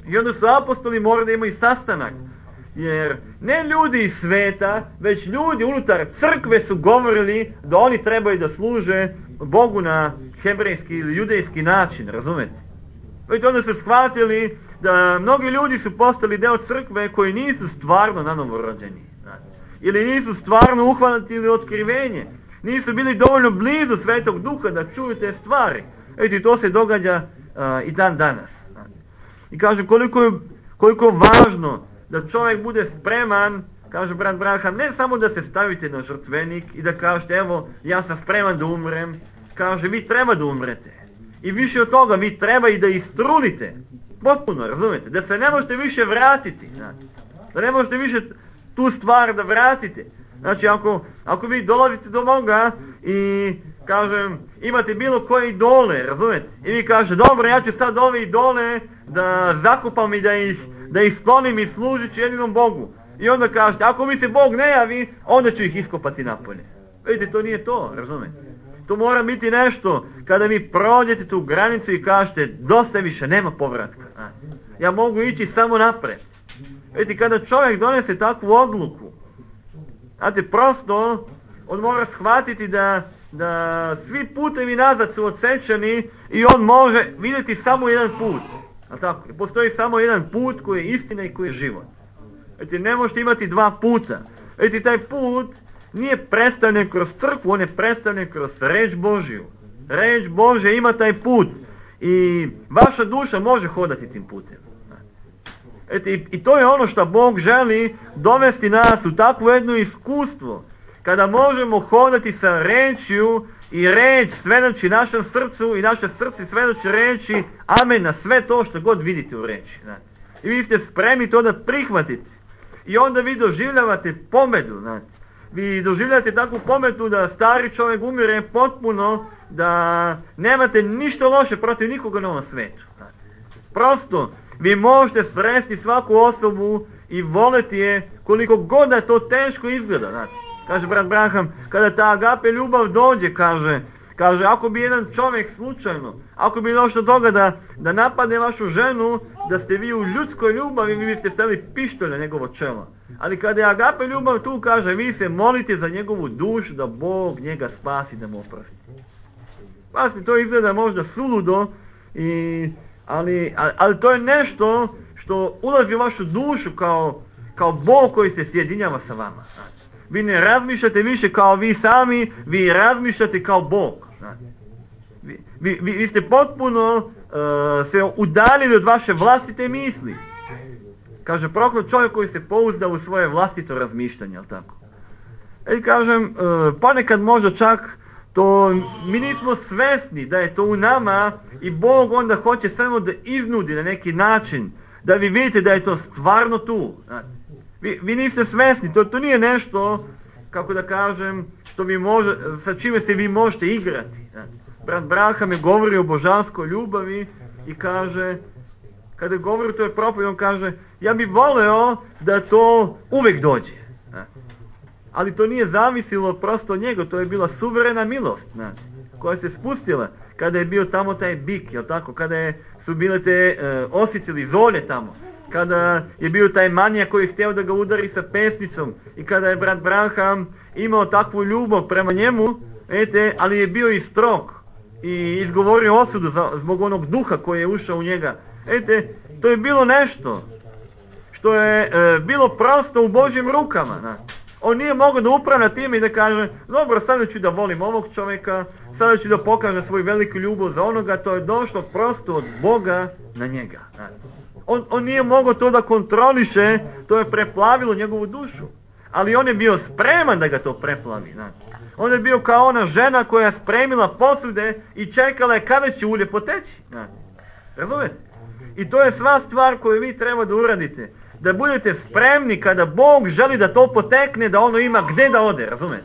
I onda su apostoli morali da imaju sastanak. Jer ne ljudi iz sveta, već ljudi unutar crkve su govorili da oni trebaju da služe Bogu na hebrejski ili judejski način, razumete? Vidite, onda su shvatili da mnogi ljudi su postali deo crkve koji nisu stvarno nanovorođeni. Ili nisu stvarno uhvatili otkrivenje. Nisu bili dovoljno blizu Svetog Duha da čuju te stvari. Vidite, to se događa uh, i dan danas. I kažem, koliko je, koliko je važno da čovjek bude spreman, kaže brat Branham, ne samo da se stavite na žrtvenik i da kažete, evo, ja sam spreman da umrem. Kaže, vi treba da umrete. I više od toga, vi treba i da istrunite. Potpuno, razumijete? Da se ne možete više vratiti. Znači, da ne možete više tu stvar da vratite. Znači, ako, ako vi dolazite do Boga i, kažem, imate bilo koje idole, razumijete? I vi kažete, dobro, ja ću sad ove idole da zakupam i da ih da ih sklonim i služit ću jedinom Bogu. I onda kažete, ako mi se Bog ne javi, onda ću ih iskopati napolje. Vidite, to nije to, razumijete? To mora biti nešto, kada vi prođete tu granicu i kažete, dosta više, nema povratka. Ja mogu ići samo napred. Vidite, kada čovjek donese takvu odluku, znate, prosto, on mora shvatiti da, da svi putevi nazad su odsečeni i on može vidjeti samo jedan put. A tako, postoji samo jedan put koji je istina i koji je život. Vidite, ne možete imati dva puta. Vidite, taj put nije predstavljen kroz crkvu, on je predstavljen kroz reč Božju. Reč Božja ima taj put i vaša duša može hodati tim putem. Vidite, i, i to je ono što Bog želi dovesti nas u takvo jedno iskustvo, kada možemo hodati sa rečju i reč svedoči našem srcu i naše srce svedoči reči amen na sve to što god vidite u reči. Znate. I vi ste spremni to da prihvatite. I onda vi doživljavate pobedu. Znate. Vi doživljavate takvu pobedu da stari čovjek umire potpuno, da nemate ništa loše protiv nikoga na ovom svetu. Znate. Prosto, vi možete sresti svaku osobu i voleti je koliko god da to teško izgleda. Znate. Kaže brat Branham, kada ta agape ljubav dođe, kaže, Kaže, ako bi jedan čovjek slučajno, ako bi došlo do toga da, da napadne vašu ženu, da ste vi u ljudskoj ljubavi, vi biste stavili pištolj na njegovo čelo. Ali kada je agape ljubav tu, kaže, vi se molite za njegovu dušu, da Bog njega spasi, da mu oprosti. Pasti, to izgleda možda suludo, i, ali, ali, ali to je nešto što ulazi u vašu dušu kao, kao Bog koji se sjedinjava sa vama. Vi ne razmišljate više kao vi sami, vi razmišljate kao Bog. Vi, vi, vi ste potpuno uh, se udaljili od vaše vlastite misli. Kaže, proklet čovjek koji se pouzda u svoje vlastito razmišljanje, jel tako? I kažem, uh, ponekad možda čak to mi nismo svesni da je to u nama i Bog onda hoće samo da iznudi na neki način, da vi vidite da je to stvarno tu. Vi, vi niste svesni, to, to nije nešto, kako da kažem, što vi može, sa čime se vi možete igrati. Brat Braham je govori o božanskoj ljubavi i kaže, kada govori o toj propovedi, on kaže, ja bih voleo da to uvijek dođe. Ali to nije zavisilo prosto od njega, to je bila suverena milost, znači, koja se spustila kada je bio tamo taj bik, jel tako, kada je, su bile te e, osice ili zolje tamo, kada je bio taj manijak koji je htio da ga udari sa pesnicom i kada je brat Braham imao takvu ljubav prema njemu, ete, ali je bio i strog i izgovorio osudu za, zbog onog duha koji je ušao u njega. Ete, to je bilo nešto što je e, bilo prosto u Božjim rukama, znači. On nije mogao da upravlja time i da kaže, dobro, sada ću da volim ovog čovjeka, sada ću da pokažem svoju veliku ljubav za onoga, to je došlo prosto od Boga na njega. On, on nije mogao to da kontroliše, to je preplavilo njegovu dušu. Ali on je bio spreman da ga to preplavi. On je bio kao ona žena koja je spremila posude i čekala je kada će ulje poteći. Razumete? I to je sva stvar koju vi treba da uradite. Da budete spremni kada Bog želi da to potekne, da ono ima gdje da ode, razumete?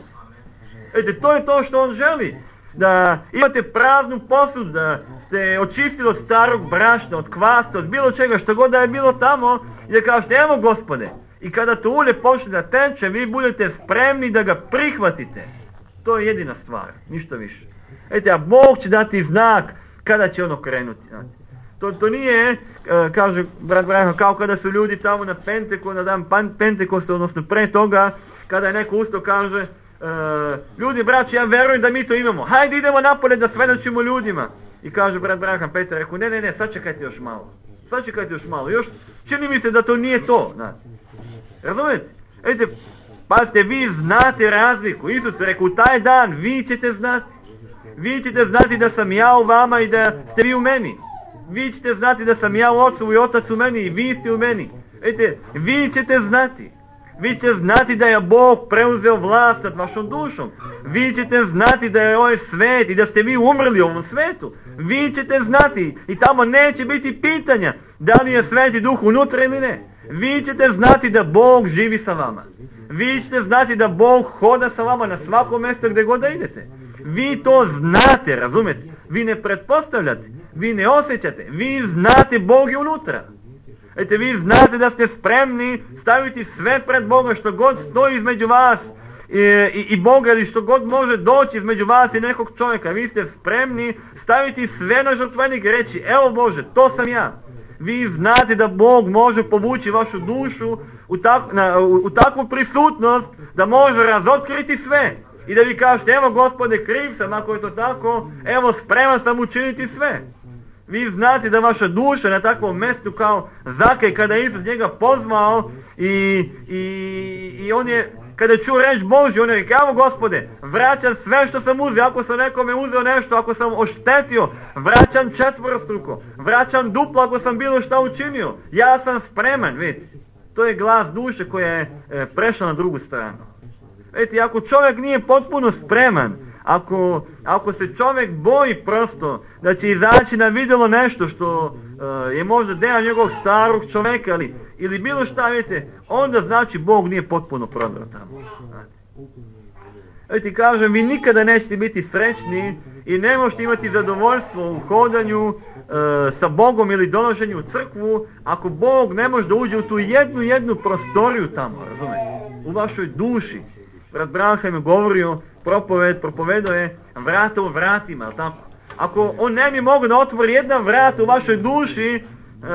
Ete, to je to što on želi. Da imate praznu posudu, da ste očistili od starog brašna, od kvasta, od bilo čega, što god da je bilo tamo, i da kažete, evo Gospode, i kada to ulje počne da teče, vi budete spremni da ga prihvatite. To je jedina stvar, ništa više. Ete, a Bog će dati znak kada će ono krenuti. To, to nije, kaže brat Braham, kao kada su ljudi tamo na Pentekost, na dan Pentekosta, odnosno pre toga, kada je neko ustao kaže, Uh, ljudi, braći, ja verujem da mi to imamo. Hajde idemo napolje da svedočimo ljudima. I kaže brat Braham Petar, rekao, ne, ne, ne, sačekajte još malo. Sačekajte još malo. Još čini mi se da to nije to. Znači. Razumijete? Vidite, pazite, vi znate razliku. Isus je rekao, u taj dan vi ćete znati. Vi ćete znati da sam ja u vama i da ste vi u meni. Vi ćete znati da sam ja u Ocu i Otac u meni i vi ste u meni. Vidite, vi ćete znati. Vi ćete znati da je Bog preuzeo vlast nad vašom dušom. Vi ćete znati da je ovaj svet i da ste vi umrli u ovom svetu. Vi ćete znati i tamo neće biti pitanja da li je Sveti Duh unutra ili ne. Vi ćete znati da Bog živi sa vama. Vi ćete znati da Bog hoda sa vama na svako mjesto gdje god da idete. Vi to znate, razumete? Vi ne pretpostavljate, vi ne osjećate, vi znate Bog je unutra. Ete, vi znate da ste spremni staviti sve pred Boga što god stoji između vas i, i, i Boga ili što god može doći između vas i nekog čovjeka. Vi ste spremni staviti sve na žrtvenik i reći, evo Bože, to sam ja. Vi znate da Bog može povući vašu dušu u, tak, na, u, u takvu prisutnost da može razotkriti sve. I da vi kažete, evo Gospode, kriv sam ako je to tako, evo spreman sam učiniti sve. Vi znate da vaša duša na takvom mjestu kao Zakej, kada je Isus njega pozvao i, i, i on je, kada je čuo reč Božju, on je rekao, evo Gospode, vraćam sve što sam uzeo, ako sam nekome uzeo nešto, ako sam oštetio, vraćam četvorostruko, vraćam duplo ako sam bilo šta učinio, ja sam spreman, vidite. To je glas duše koja je e, prešla na drugu stranu. Vidite, ako čovjek nije potpuno spreman, Ako, ako se čovjek boji prosto da će izaći na vidjelo nešto što uh, je možda deo njegovog starog čovjeka ili, ili bilo šta, vidite, onda znači Bog nije potpuno prodao tamo. Vidite, kažem, vi nikada nećete biti srećni i ne možete imati zadovoljstvo u hodanju uh, sa Bogom ili donošenju u crkvu ako Bog ne može da uđe u tu jednu jednu prostoriju tamo, razumijete, u vašoj duši. Brat Braham je govorio propoved, propovedao je vrata u vratima, jel tako? Ako on ne bi mogao da otvori jedna vrata u vašoj duši, Uh,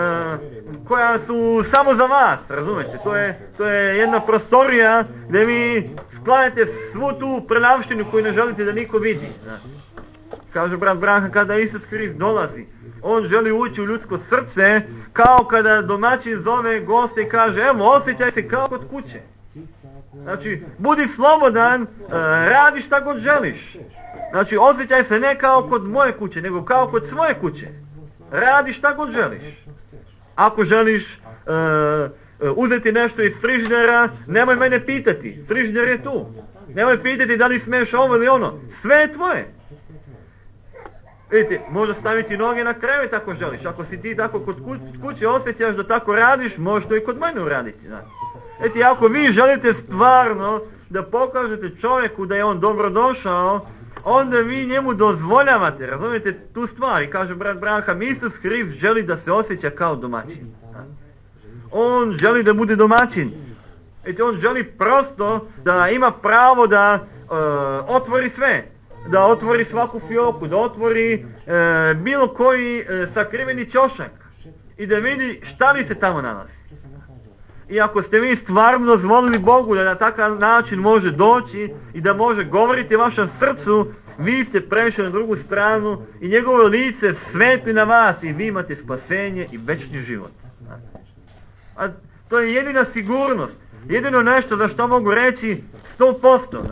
koja su samo za vas, razumete, to je, to je jedna prostorija gdje vi sklanjate svu tu prenavštinu koju ne želite da niko vidi. Znači. Kaže brat Branha, kada Isus Krist dolazi, on želi ući u ljudsko srce kao kada domaćin zove goste i kaže evo osjećaj se kao kod kuće. Znači budi slobodan, uh, radi šta god želiš. Znači osjećaj se ne kao kod moje kuće, nego kao kod svoje kuće. Radi šta god želiš. Ako želiš uh, uh, uzeti nešto iz frižidera, nemoj mene pitati. Frižider je tu. Nemoj pitati da li smiješ ovo ili ono. Sve je tvoje. Vidite, možda staviti noge na krevet ako želiš. Ako si ti tako kod kuće osjećaš da tako radiš, možeš to i kod mene uraditi. Vidite, ako vi želite stvarno da pokažete čovjeku da je on dobro došao, onda vi njemu dozvoljavate, razumijete tu stvar. I kaže brat Branham, Isus Hrist želi da se osjeća kao domaćin. On želi da bude domaćin. Eti on želi prosto da ima pravo da uh, otvori sve. Da otvori svaku fioku, da otvori uh, bilo koji uh, sakriveni ćošak. I da vidi šta li se tamo nalazi. I ako ste vi stvarno dozvolili Bogu da na takav način može doći i da može govoriti vašem srcu, vi ste prešli na drugu stranu i njegovo lice svetli na vas i vi imate spasenje i večni život. A to je jedina sigurnost, jedino nešto za što mogu reći sto posto.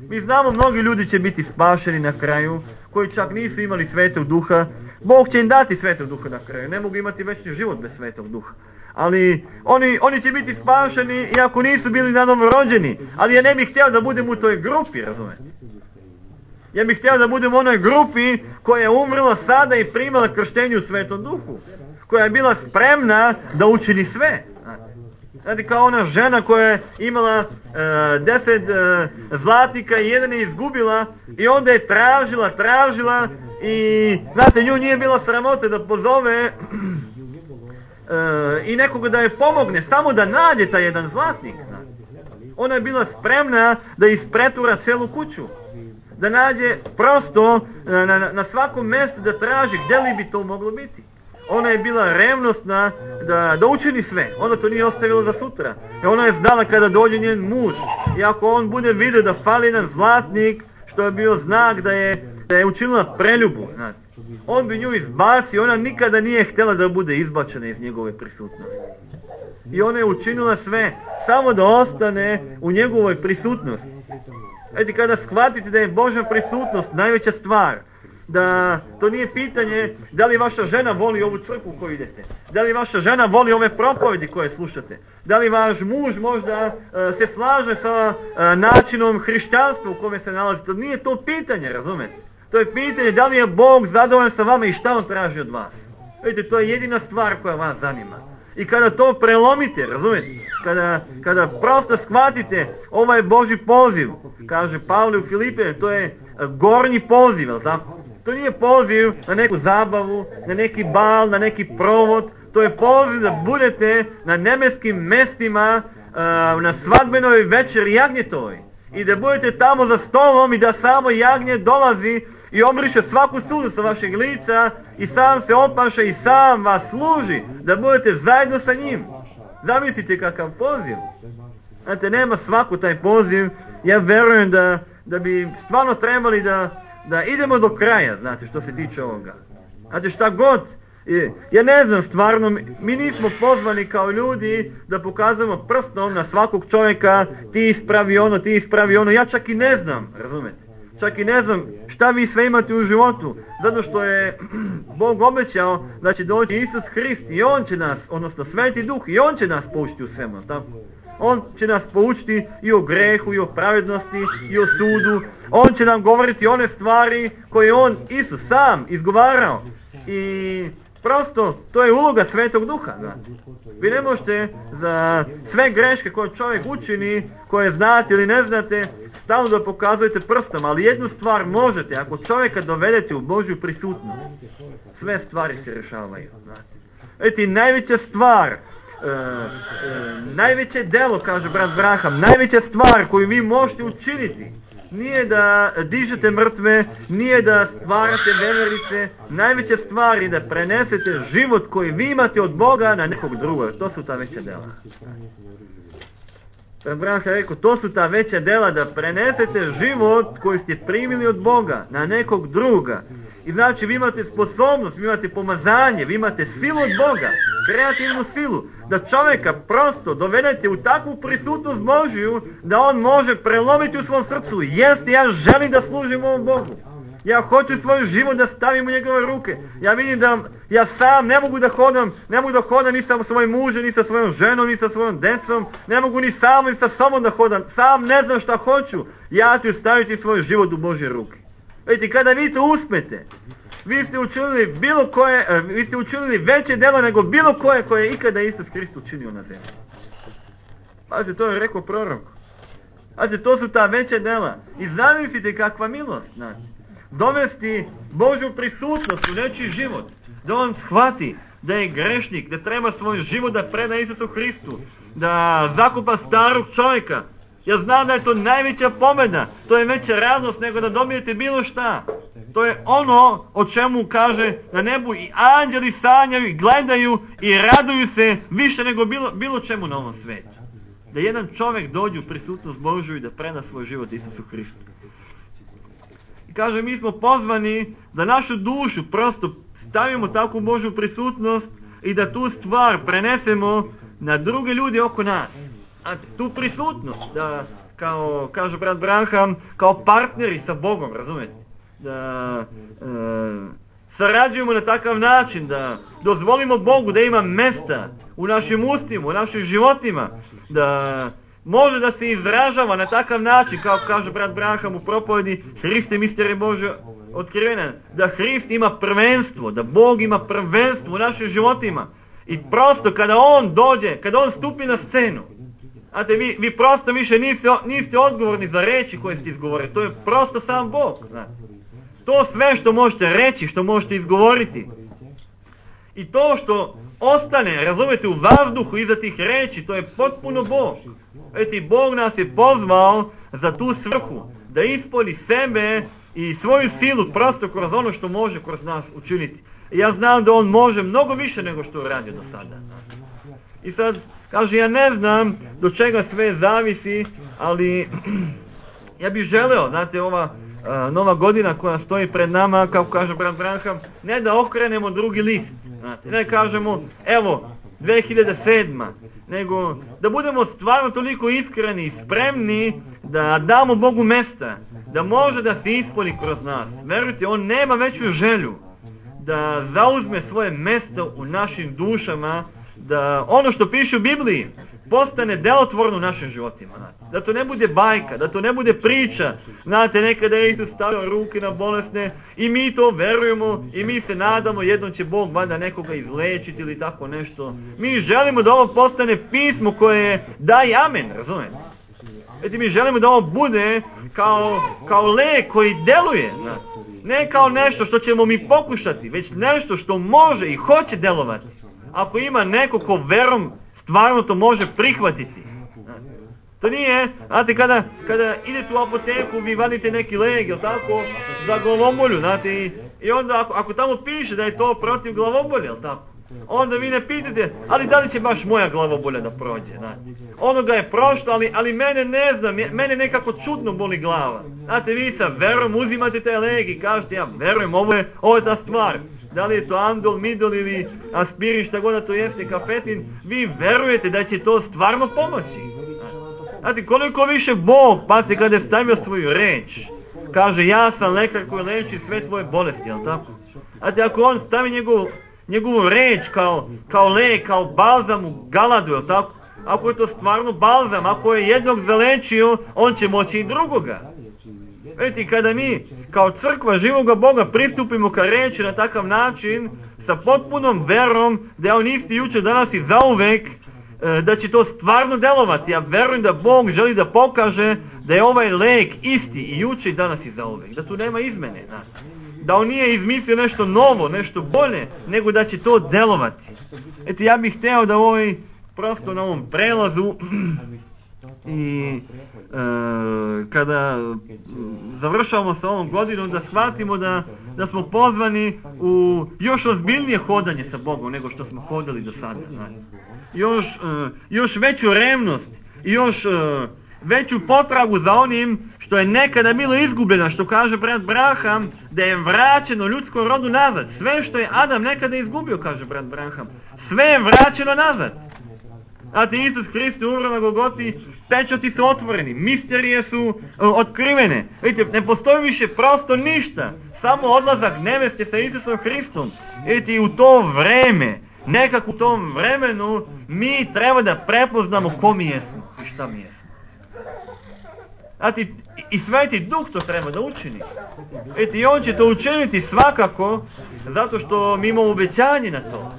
Mi znamo mnogi ljudi će biti spašeni na kraju, koji čak nisu imali Svetog Duha. Bog će im dati Svetog Duha na kraju, ne mogu imati večni život bez Svetog Duha. Ali oni, oni će biti spašeni iako nisu bili na novo rođeni. Ali ja ne bih htio da budem u toj grupi, razumijete? Ja bih htio da budem u onoj grupi koja je umrla sada i primala krštenje u Svetom Duhu. Koja je bila spremna da učini sve. Znate, kao ona žena koja je imala e, deset e, zlatnika i jedan je izgubila i onda je tražila, tražila i znate, nju nije bila sramota da pozove Uh, i nekoga da je pomogne, samo da nađe taj jedan zlatnik. Ona je bila spremna da ispretura celu kuću. Da nađe prosto uh, na, na, na svakom mjestu da traži gdje li bi to moglo biti. Ona je bila revnosna da, da učini sve. Ona to nije ostavila za sutra. I ona je znala kada dođe njen muž. I ako on bude vidio da fali jedan zlatnik, što je bio znak da je, da je učinila preljubu, znate, on bi nju izbacio, ona nikada nije htjela da bude izbačena iz njegove prisutnosti. I ona je učinila sve, samo da ostane u njegovoj prisutnosti. Eti, kada shvatite da je Božja prisutnost najveća stvar, da to nije pitanje da li vaša žena voli ovu crkvu u koju idete, da li vaša žena voli ove propovedi koje slušate, da li vaš muž možda uh, se slaže sa uh, načinom hrišćanstva u kome se nalazi. To nije to pitanje, razumete? To je pitanje da li je Bog zadovoljan sa vama i šta on traži od vas. Vidite, to je jedina stvar koja vas zanima. I kada to prelomite, razumijete, kada, kada prosto shvatite ovaj Božji poziv, kaže Pavle u Filipe, to je gornji poziv, jel tako? To nije poziv na neku zabavu, na neki bal, na neki provod, to je poziv da budete na nebeskim mestima, na svadbenoj večeri jagnjetovoj. I da budete tamo za stolom i da samo jagnje dolazi i obriše svaku suzu sa vašeg lica i sam se opaša i sam vas služi, da budete zajedno sa njim. Zamislite kakav poziv. Znate, nema svaku taj poziv. Ja verujem da, da bi stvarno trebali da, da idemo do kraja, znate, što se tiče ovoga. Znate, šta god, ja ne znam stvarno, mi nismo pozvani kao ljudi da pokazujemo prstom na svakog čovjeka, ti ispravi ono, ti ispravi ono, ja čak i ne znam, razumete? Čak i ne znam šta vi sve imate u životu, zato što je Bog obećao da će doći Isus Hrist i On će nas, odnosno Sveti Duh, i On će nas poučiti u svemu, tako? On će nas poučiti i o grehu, i o pravednosti, i o sudu. On će nam govoriti one stvari koje On, Isus, sam izgovarao. I prosto, to je uloga Svetog Duha. Da. Vi ne možete za sve greške koje čovjek učini, koje znate ili ne znate, stalno da pokazujete prstom, ali jednu stvar možete, ako čovjeka dovedete u Božju prisutnost, sve stvari se rješavaju. Eti, najveća stvar, e, e, najveće delo, kaže brat Branham, najveća stvar koju vi možete učiniti nije da dižete mrtve, nije da stvarate veverice, najveća stvar je da prenesete život koji vi imate od Boga na nekog drugog. To su ta veća dela. Branka je rekao, to su ta veća dela, da prenesete život koji ste primili od Boga na nekog druga. I znači vi imate sposobnost, vi imate pomazanje, vi imate silu od Boga, kreativnu silu, da čovjeka prosto dovedete u takvu prisutnost Božiju, da on može prelomiti u svom srcu. Jeste, ja želim da služim ovom Bogu. Ja hoću svoj život da stavim u njegove ruke. Ja vidim da ja sam ne mogu da hodam, ne mogu da hodam ni sa svojim mužem, ni sa svojom ženom, ni sa svojom decom, ne mogu ni sam, ni sa sobom da hodam. Sam ne znam šta hoću. Ja ću staviti svoj život u Božje ruke. Vidite, kada vi to uspete, vi ste učinili bilo koje, vi ste učinili veće delo nego bilo koje koje je ikada Isus Krist učinio na zemlji. Pazite, to je rekao prorok. Pazite, to su ta veća dela. I zamislite kakva milost, znači. Dovesti Božju prisutnost u nečiji život, da on shvati da je grešnik, da treba svoj život da preda Isusu Hristu, da zakupa starog čovjeka. Ja znam da je to najveća pobjeda, to je veća radost nego da dobijete bilo šta. To je ono o čemu kaže na nebu i anđeli sanjaju i gledaju i raduju se više nego bilo, bilo čemu na ovom svijetu. Da jedan čovjek dođe u prisutnost Božju i da preda svoj život Isusu Hristu. I kaže, mi smo pozvani da našu dušu prosto stavimo takvu Božju prisutnost i da tu stvar prenesemo na druge ljude oko nas. A tu prisutnost, da, kao kaže brat Branham, kao partneri sa Bogom, razumijete? Da e, sarađujemo na takav način, da dozvolimo Bogu da ima mesta u našim ustima, u našim životima, da može da se izražava na takav način, kao kaže brat Branham u propovedi Hriste mistere Bože otkrivena, da Hrist ima prvenstvo, da Bog ima prvenstvo u našim životima. I prosto kada On dođe, kada On stupi na scenu, znate, vi, vi prosto više niste, niste odgovorni za reči koje ste izgovorili, to je prosto sam Bog. Znate. To sve što možete reći, što možete izgovoriti, i to što ostane, razumete, u vazduhu iza tih reči, to je potpuno Bog. Eti, Bog nas je pozvao za tu svrhu, da ispolji sebe i svoju silu prosto kroz ono što može kroz nas učiniti. I ja znam da On može mnogo više nego što je radio do sada. I sad, kaže, ja ne znam do čega sve zavisi, ali ja bih želeo, znate, ova uh, nova godina koja stoji pred nama, kao kaže brat Branham, ne da okrenemo drugi list, znate, ne kažemo, evo, dve hiljade sedma, nego da budemo stvarno toliko iskreni i spremni da damo Bogu mesta, da može da se ispolji kroz nas. Verujte, On nema veću želju da zauzme svoje mjesto u našim dušama, da ono što piše u Bibliji postane delotvorno u našim životima. Da to ne bude bajka, da to ne bude priča. Znate, nekada je Isus stavio ruke na bolesne i mi to verujemo i mi se nadamo jednom će Bog valjda nekoga izlečiti ili tako nešto. Mi želimo da ovo postane pismo koje daje amen, razumijete? Eti, mi želimo da ovo bude kao, kao lek koji deluje, znate. Ne kao nešto što ćemo mi pokušati, već nešto što može i hoće delovati. Ako ima neko ko verom stvarno to može prihvatiti. To nije, znate, kada, kada idete u apoteku, vi vadite neki leg, jel tako, za glavobolju, znate, i, i onda ako, ako tamo piše da je to protiv glavobolja, jel tako, onda vi ne pitate, ali da li će baš moja glavobolja da prođe, znate. Ono ga je prošlo, ali, ali mene ne znam, mene nekako čudno boli glava. Znate, vi sa verom uzimate taj leg i kažete, ja verujem, ovo je, ovo je ta stvar. Da li je to Andol, Midol ili aspirin, šta god da to jeste, kafetin, vi verujete da će to stvarno pomoći. Znate, koliko više Bog, pazite, kada je stavio svoju reč, kaže, ja sam lekar koji leči sve tvoje bolesti, jel tako? Znate, ako On stavi njegovu, njegovu reč kao, kao lek, kao balzam u galadu, jel tako? Ako je to stvarno balzam, ako je jednog zalečio, On će moći i drugoga. Vidite, kada mi kao crkva živoga Boga pristupimo ka reči na takav način, sa potpunom verom da je On isti jučer, danas i zauvek, da će to stvarno delovati. Ja verujem da Bog želi da pokaže da je ovaj lek isti i jučer i danas i zauvek. Da tu nema izmene. Da On nije izmislio nešto novo, nešto bolje, nego da će to delovati. Eto, ja bih hteo da ovaj, prosto na ovom prelazu i kada završavamo sa ovom godinom, da shvatimo da, da smo pozvani u još ozbiljnije hodanje sa Bogom nego što smo hodali do sada. Još, još veću revnost i još veću potragu za onim što je nekada bilo izgubljeno, što kaže brat Branham, da je vraćeno ljudskom rodu nazad. Sve što je Adam nekada izgubio, kaže brat Branham, sve je vraćeno nazad. Znate, Isus Hrist umro na Golgoti, pečati su otvoreni, misterije su uh, otkrivene. Vidite, ne postoji više prosto ništa, samo odlazak neveste sa Isusom Hristom. Vidite, u to vreme, nekako u tom vremenu, mi treba da prepoznamo ko mi jesmo i šta mi jesmo. Znate, i Sveti Duh to treba da učini. Vidite, i on će to učiniti svakako, zato što mi imamo obećanje na to.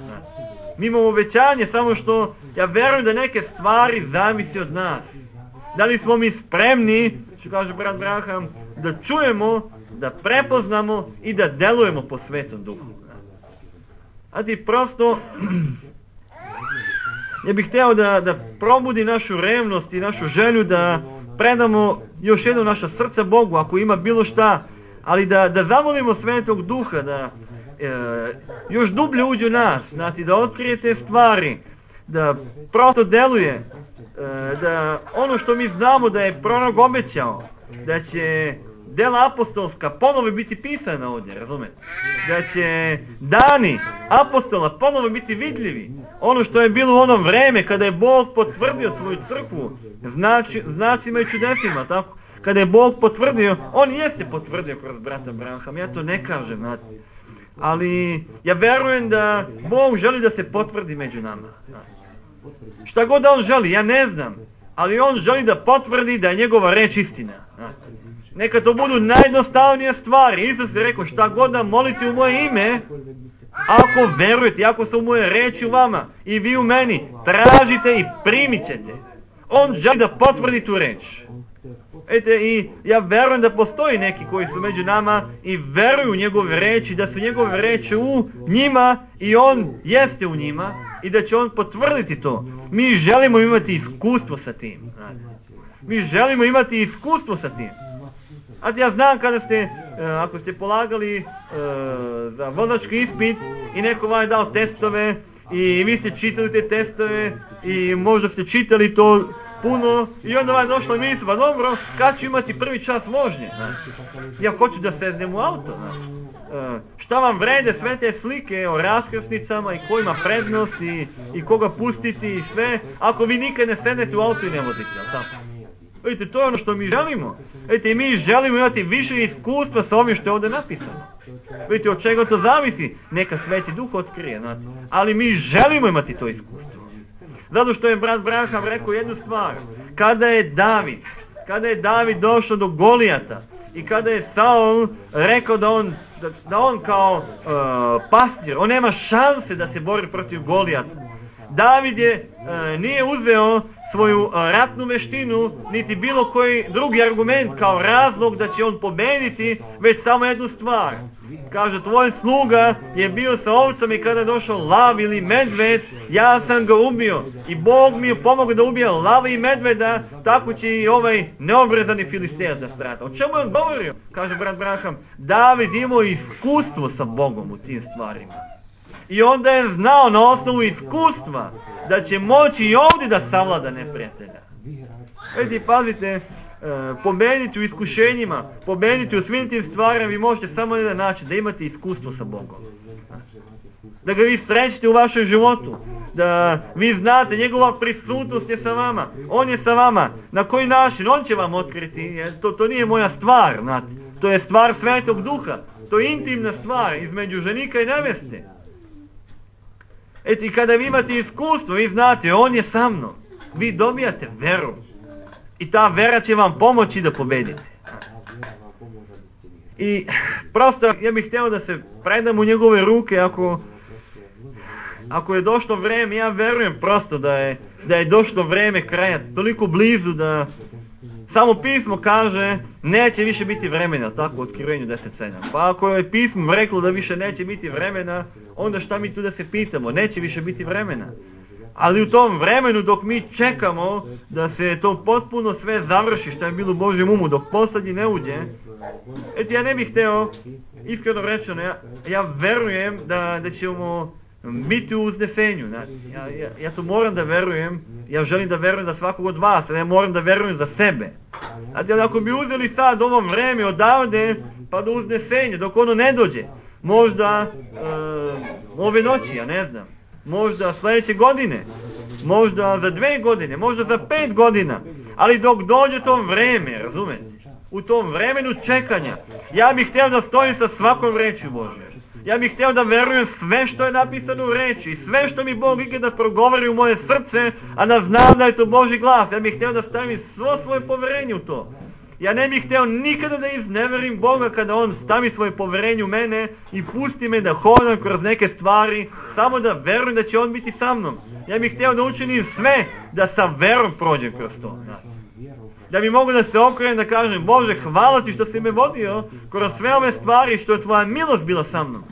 Mi imamo obećanje, samo što ja verujem da neke stvari zavisi od nas. Da li smo mi spremni, što kaže brat Branham, da čujemo, da prepoznamo i da delujemo po Svetom Duhu. A ti prosto, ja bih htio da, da probudi našu revnost i našu želju da predamo još jedno naša srca Bogu, ako ima bilo šta, ali da, da zamolimo Svetog Duha, da e, još dublje uđe u nas, znači da otkrije te stvari, da prosto deluje, e, da ono što mi znamo da je prorok obećao, da će dela apostolska ponovo biti pisana ovdje, razumete? Da će dani apostola ponovo biti vidljivi. Ono što je bilo u ono vreme kada je Bog potvrdio svoju crkvu znači, znacima i čudesima, tako? Kada je Bog potvrdio, on jeste potvrdio kroz brata Branham, ja to ne kažem, znate. Ali ja verujem da Bog želi da se potvrdi među nama. Znate. Šta god da on želi, ja ne znam, ali on želi da potvrdi da je njegova reč istina. Znate. Neka to budu najjednostavnije stvari. Isus je rekao, šta god da molite u moje ime, ako verujete, ako su moje reči u vama i vi u meni, tražite i primit ćete. On želi da potvrdi tu reč. Ete, i ja verujem da postoji neki koji su među nama i veruju u njegove reči, da su njegove reči u njima i on jeste u njima i da će on potvrditi to. Mi želimo imati iskustvo sa tim. Mi želimo imati iskustvo sa tim. A ja znam kada ste, ako ste polagali uh, za vozački ispit i neko vam je dao testove i vi ste čitali te testove i možda ste čitali to puno i onda vam je došla misla, pa dobro, kad ću imati prvi čas vožnje? Ja hoću da sednem u auto. Uh, šta vam vrede sve te slike o raskrsnicama i ko ima prednost i, i koga pustiti i sve, ako vi nikad ne sednete u auto i ne vozite, ali tako? Vidite, to je ono što mi želimo. Vidite, mi želimo imati više iskustva sa ovim što je ovdje napisano. Vidite, od čega to zavisi? Neka Sveti Duh otkrije. Znači. Ali mi želimo imati to iskustvo. Zato što je brat Branham rekao jednu stvar. Kada je David, kada je David došao do Golijata i kada je Saul rekao da on, da, da on kao uh, pastir, on nema šanse da se bori protiv Golijata. David je, uh, nije uzeo svoju ratnu veštinu, niti bilo koji drugi argument kao razlog da će on pobediti, već samo jednu stvar. Kaže, tvoj sluga je bio sa ovcama i kada je došao lav ili medved, ja sam ga ubio. I Bog mi je pomogao da ubije lava i medveda, tako će i ovaj neobrezani filistejac da strata. O čemu je on govorio? Kaže brat Branham, David imao iskustvo sa Bogom u tim stvarima. I onda je znao na osnovu iskustva da će moći i ovdje da savlada neprijatelja. Vidite, pazite, e, pobediti u iskušenjima, pobediti u svim tim stvarima vi možete samo na jedan način, da imate iskustvo sa Bogom. Da ga vi srećete u vašem životu, da vi znate, njegova prisutnost je sa vama, on je sa vama, na koji način, on će vam otkriti, to, to nije moja stvar, znate. To je stvar Svetog Duha, to je intimna stvar između ženika i neveste. Eti, kada vi imate iskustvo, vi znate, on je sa mnom, vi dobijate veru. I ta vera će vam pomoći da pobedite. I prosto, ja bih htio da se predam u njegove ruke, ako, ako je došlo vreme, ja verujem prosto da je, da je došlo vreme kraja, toliko blizu da samo pismo kaže, neće više biti vremena, tako u Otkrivenju deset sedam. Pa ako je pismo reklo da više neće biti vremena, onda šta mi tu da se pitamo, neće više biti vremena. Ali u tom vremenu dok mi čekamo da se to potpuno sve završi što je bilo u Božjem umu, dok posljednji ne uđe, eto ja ne bih hteo, iskreno rečeno, ja, ja verujem da, da ćemo biti u uznesenju. Ja, ja, ja to moram da verujem, ja želim da verujem za svakog od vas, ja moram da verujem za sebe. Znači, ako bi uzeli sad ovo vreme odavde pa do uznesenja, dok ono ne dođe, možda uh, ove noći, ja ne znam, možda sljedeće godine, možda za dve godine, možda za pet godina, ali dok dođe to vreme, razumete, u tom vremenu čekanja, ja bih htio da stojim sa svakom reči Božje. Ja bih htio da verujem sve što je napisano u reči i sve što mi Bog ikada progovori u moje srce, a da znam da je to Božji glas. Ja bih htio da stavim svo svoje poverenje u to. Ja ne bih htio nikada da izneverim Boga kada On stavi svoje poverenje u mene i pusti me da hodam kroz neke stvari, samo da verujem da će On biti sa mnom. Ja bih htio da učinim sve da sa verom prođem kroz to. Da bi mogu da se okrenem da kažem, Bože, hvala ti što si me vodio kroz sve ove stvari, što je tvoja milost bila sa mnom.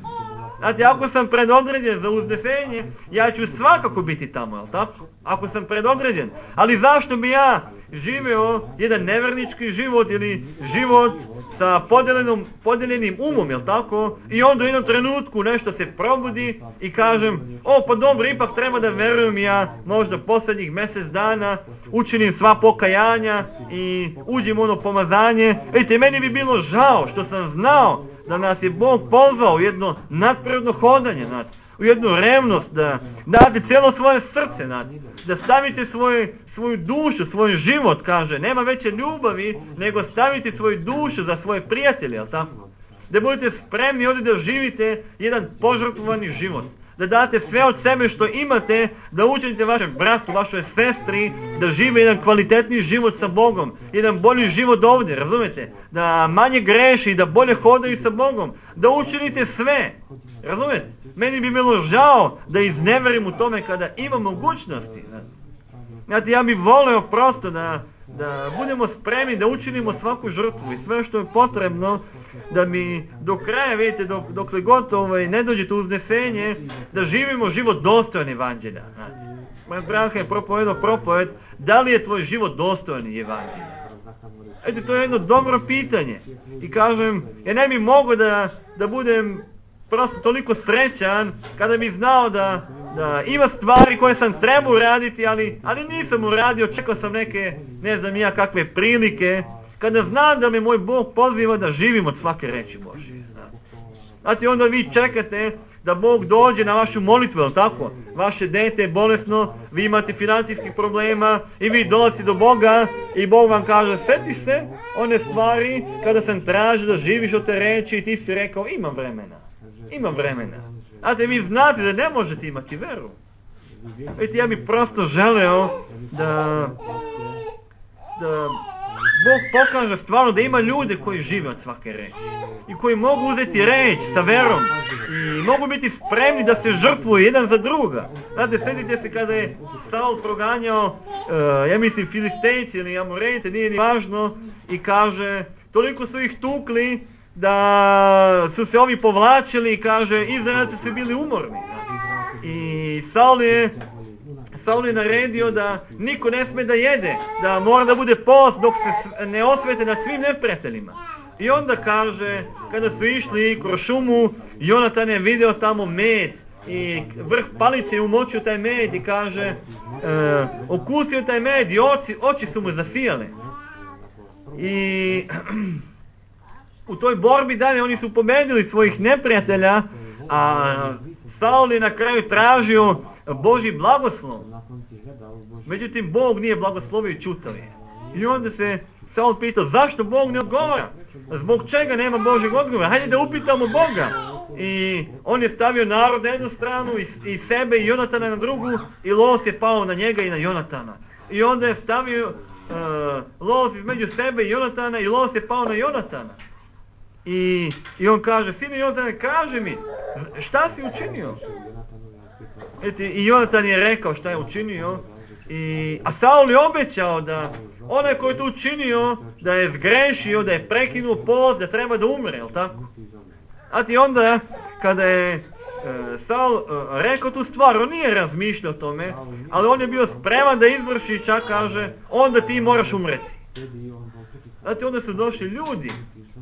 Znate, ako sam predodređen za uznesenje, ja ću svakako biti tamo, jel tako? Ako sam predodređen. Ali zašto bi ja živeo jedan nevernički život ili život sa podeljenom, podeljenim umom, jel tako? I onda u jednom trenutku nešto se probudi i kažem, o pa dobro, ipak treba da verujem ja možda posljednjih mjesec dana, učinim sva pokajanja i uđem u ono pomazanje. Ejte, meni bi bilo žao što sam znao da nas je Bog pozvao u jedno nadprirodno hodanje, znate, u jednu revnost, da date cijelo svoje srce, znate, da stavite svoje, svoju dušu, svoj život, kaže, nema veće ljubavi, nego stavite svoju dušu za svoje prijatelje, jel tako? Da budete spremni ovdje da živite jedan požrtvovani život, da date sve od sebe što imate, da učinite vašem bratu, vašoj sestri, da žive jedan kvalitetni život sa Bogom, jedan bolji život ovdje, razumete? Da manje greši i da bolje hodaju sa Bogom, da učinite sve, razumete? Meni bi bilo žao da izneverim u tome kada imam mogućnosti. Znate, ja bih voleo prosto da, da budemo spremni da učinimo svaku žrtvu i sve što je potrebno, da mi do kraja, vidite, dok, dokle god ovaj, ne dođe to uznesenje, da živimo život dostojan evanđelja. Moj brat je propovedao propoved, da li je tvoj život dostojan evanđelja? Eto, to je jedno dobro pitanje. I kažem, ja ne bi mogao da, da budem prosto toliko srećan kada bi znao da, da ima stvari koje sam trebao uraditi, ali, ali nisam uradio, čekao sam neke, ne znam ja kakve prilike, kada znam da me moj Bog poziva da živim od svake reči Božje. Znate, onda vi čekate da Bog dođe na vašu molitvu, jel tako? Vaše dete je bolesno, vi imate financijskih problema i vi dolazite do Boga i Bog vam kaže, sjeti se one stvari kada sam tražio da živiš od te reči i ti si rekao, imam vremena, imam vremena. Znate, vi znate da ne možete imati veru. Vidite, ja bih prosto želeo da, da Bog pokaže stvarno da ima ljude koji žive od svake reči i koji mogu uzeti reč sa verom i mogu biti spremni da se žrtvuju jedan za druga. Znate, sjetite se kada je Saul proganjao, uh, ja mislim Filistejci ili Amorejce, nije ni važno, i kaže, toliko su ih tukli da su se ovi povlačili i kaže, Izraelci su bili umorni. I Saul je Saul je naredio da niko ne sme da jede, da mora da bude post dok se ne osvete nad svim neprijateljima. I onda kaže, kada su išli kroz šumu, Jonatan je video tamo med i vrh palice je umočio taj med i kaže, e, okusio taj med i oči, oči su mu zasijale. I u toj borbi dalje oni su pobedili svojih neprijatelja, a Saul je na kraju tražio Božji blagoslov. Međutim, Bog nije blagoslovio i čutao je. I onda se Saul pitao, zašto Bog ne odgovara? Zbog čega nema Božjeg odgovora? Hajde da upitamo Boga. I on je stavio narod na jednu stranu i, i sebe i Jonatana na drugu i los je pao na njega i na Jonatana. I onda je stavio uh, los između sebe i Jonatana i los je pao na Jonatana. I, i on kaže, sine Jonatane, kaže mi, šta si učinio? Eti, i Jonatan je rekao šta je učinio, i, a Saul je obećao da onaj koji je to učinio, da je zgrešio, da je prekinuo post, da treba da umre, jel tako? A ti onda, kada je Saul uh, rekao tu stvar, on nije razmišljao o tome, ali on je bio spreman da izvrši, čak kaže, onda ti moraš umreti. Znate, onda su došli ljudi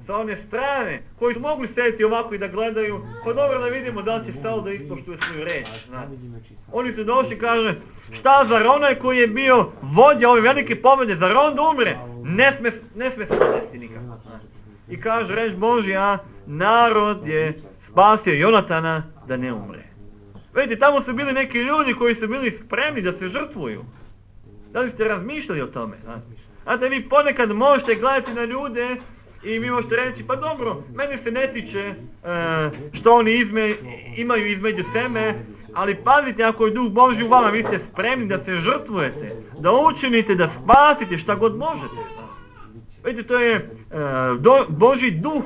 sa one strane, koji su mogli sediti ovako i da gledaju, pa dobro da vidimo da li će Saul da ispoštuje svoju reč. Znate. Oni su došli i kaže, šta zar onaj koji je bio vođa ove velike pobjede, zar on da umre? Ne sme, ne sme se desiti nikako. I kaže reč Božja, narod je spasio Jonatana da ne umre. Vidite, tamo su bili neki ljudi koji su bili spremni da se žrtvuju. Da li ste razmišljali o tome? Znate, vi ponekad možete gledati na ljude i vi možete reći, pa dobro, mene se ne tiče uh, što oni izme, imaju između sebe, ali pazite, ako je Duh Božji u vama, vi ste spremni da se žrtvujete, da učinite, da spasite šta god možete. Vidite, to je uh, do, Božji Duh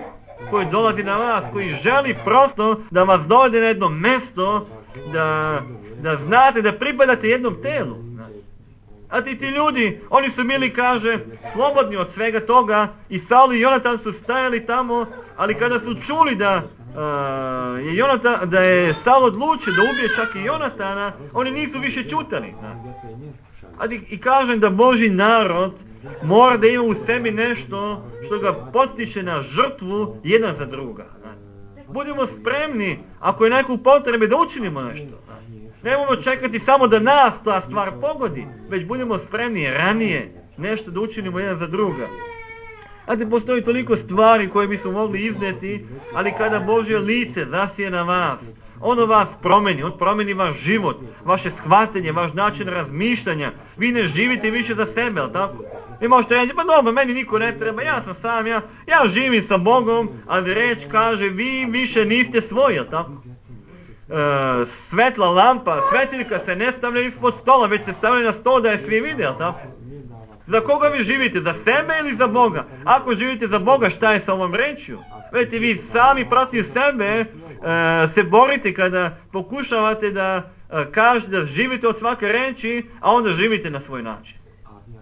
koji dolazi na vas, koji želi prosto da vas dovede na jedno mjesto, da, da znate da pripadate jednom telu. A ti ti ljudi, oni su bili, kaže, slobodni od svega toga i Saul i Jonatan su stajali tamo, ali kada su čuli da, uh, je, Jonatan, da je Saul odlučio da ubije čak i Jonatana, oni nisu više čutali. A ti, i kažem da Božji narod mora da ima u sebi nešto što ga potiče na žrtvu jedan za druga. Budimo spremni, ako je neko u potrebi, da učinimo nešto. Nemojmo čekati samo da nas ta stvar pogodi, već budemo spremni ranije nešto da učinimo jedan za druga. Znate, postoji toliko stvari koje bismo mogli izneti, ali kada Božje lice zasije na vas, ono vas promeni, on promeni vaš život, vaše shvatanje, vaš način razmišljanja. Vi ne živite više za sebe, ali tako? Vi možete reći, pa dobro, meni niko ne treba, ja sam sam, ja, ja živim sa Bogom, ali reč kaže, vi više niste svoji, ali tako? E, svetla lampa, svetiljka se ne stavlja ispod stola, već se stavlja na stol da je svi vide, ali tako? Za koga vi živite? Za sebe ili za Boga? Ako živite za Boga, šta je sa ovom rečju? Vidite, vi sami protiv sebe e, se borite kada pokušavate da e, kažete da živite od svake reči, a onda živite na svoj način.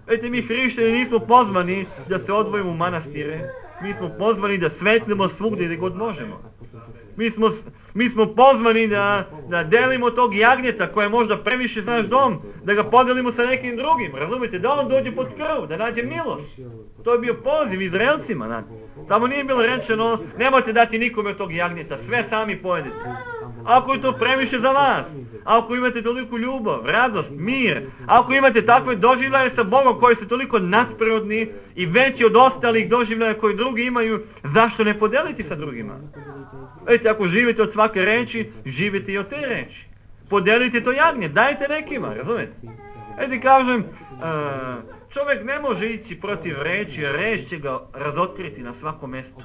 Vidite, mi hrišćani nismo pozvani da se odvojimo u manastire, mi smo pozvani da svetlimo svugdje gdje god možemo. Mi smo, mi smo pozvani da, da delimo tog jagnjeta koje možda previše za naš dom, da ga podelimo sa nekim drugim, razumijete, da on dođe pod krv, da nađe milost. To je bio poziv Izraelcima, znači. Tamo nije bilo rečeno, nemojte dati nikome tog jagnjeta, sve sami pojedete. Ako je to previše za vas, ako imate toliku ljubav, radost, mir, ako imate takve doživljaje sa Bogom koji su toliko nadprirodni i veći od ostalih doživljaja koji drugi imaju, zašto ne podeliti sa drugima? Vidite, ako živite od svake reči, živite i od te reči. Podelite to jagnje, dajte nekima, razumijete? Vidite, kažem, uh, čovjek ne može ići protiv reči, reč će ga razotkriti na svakom mjestu.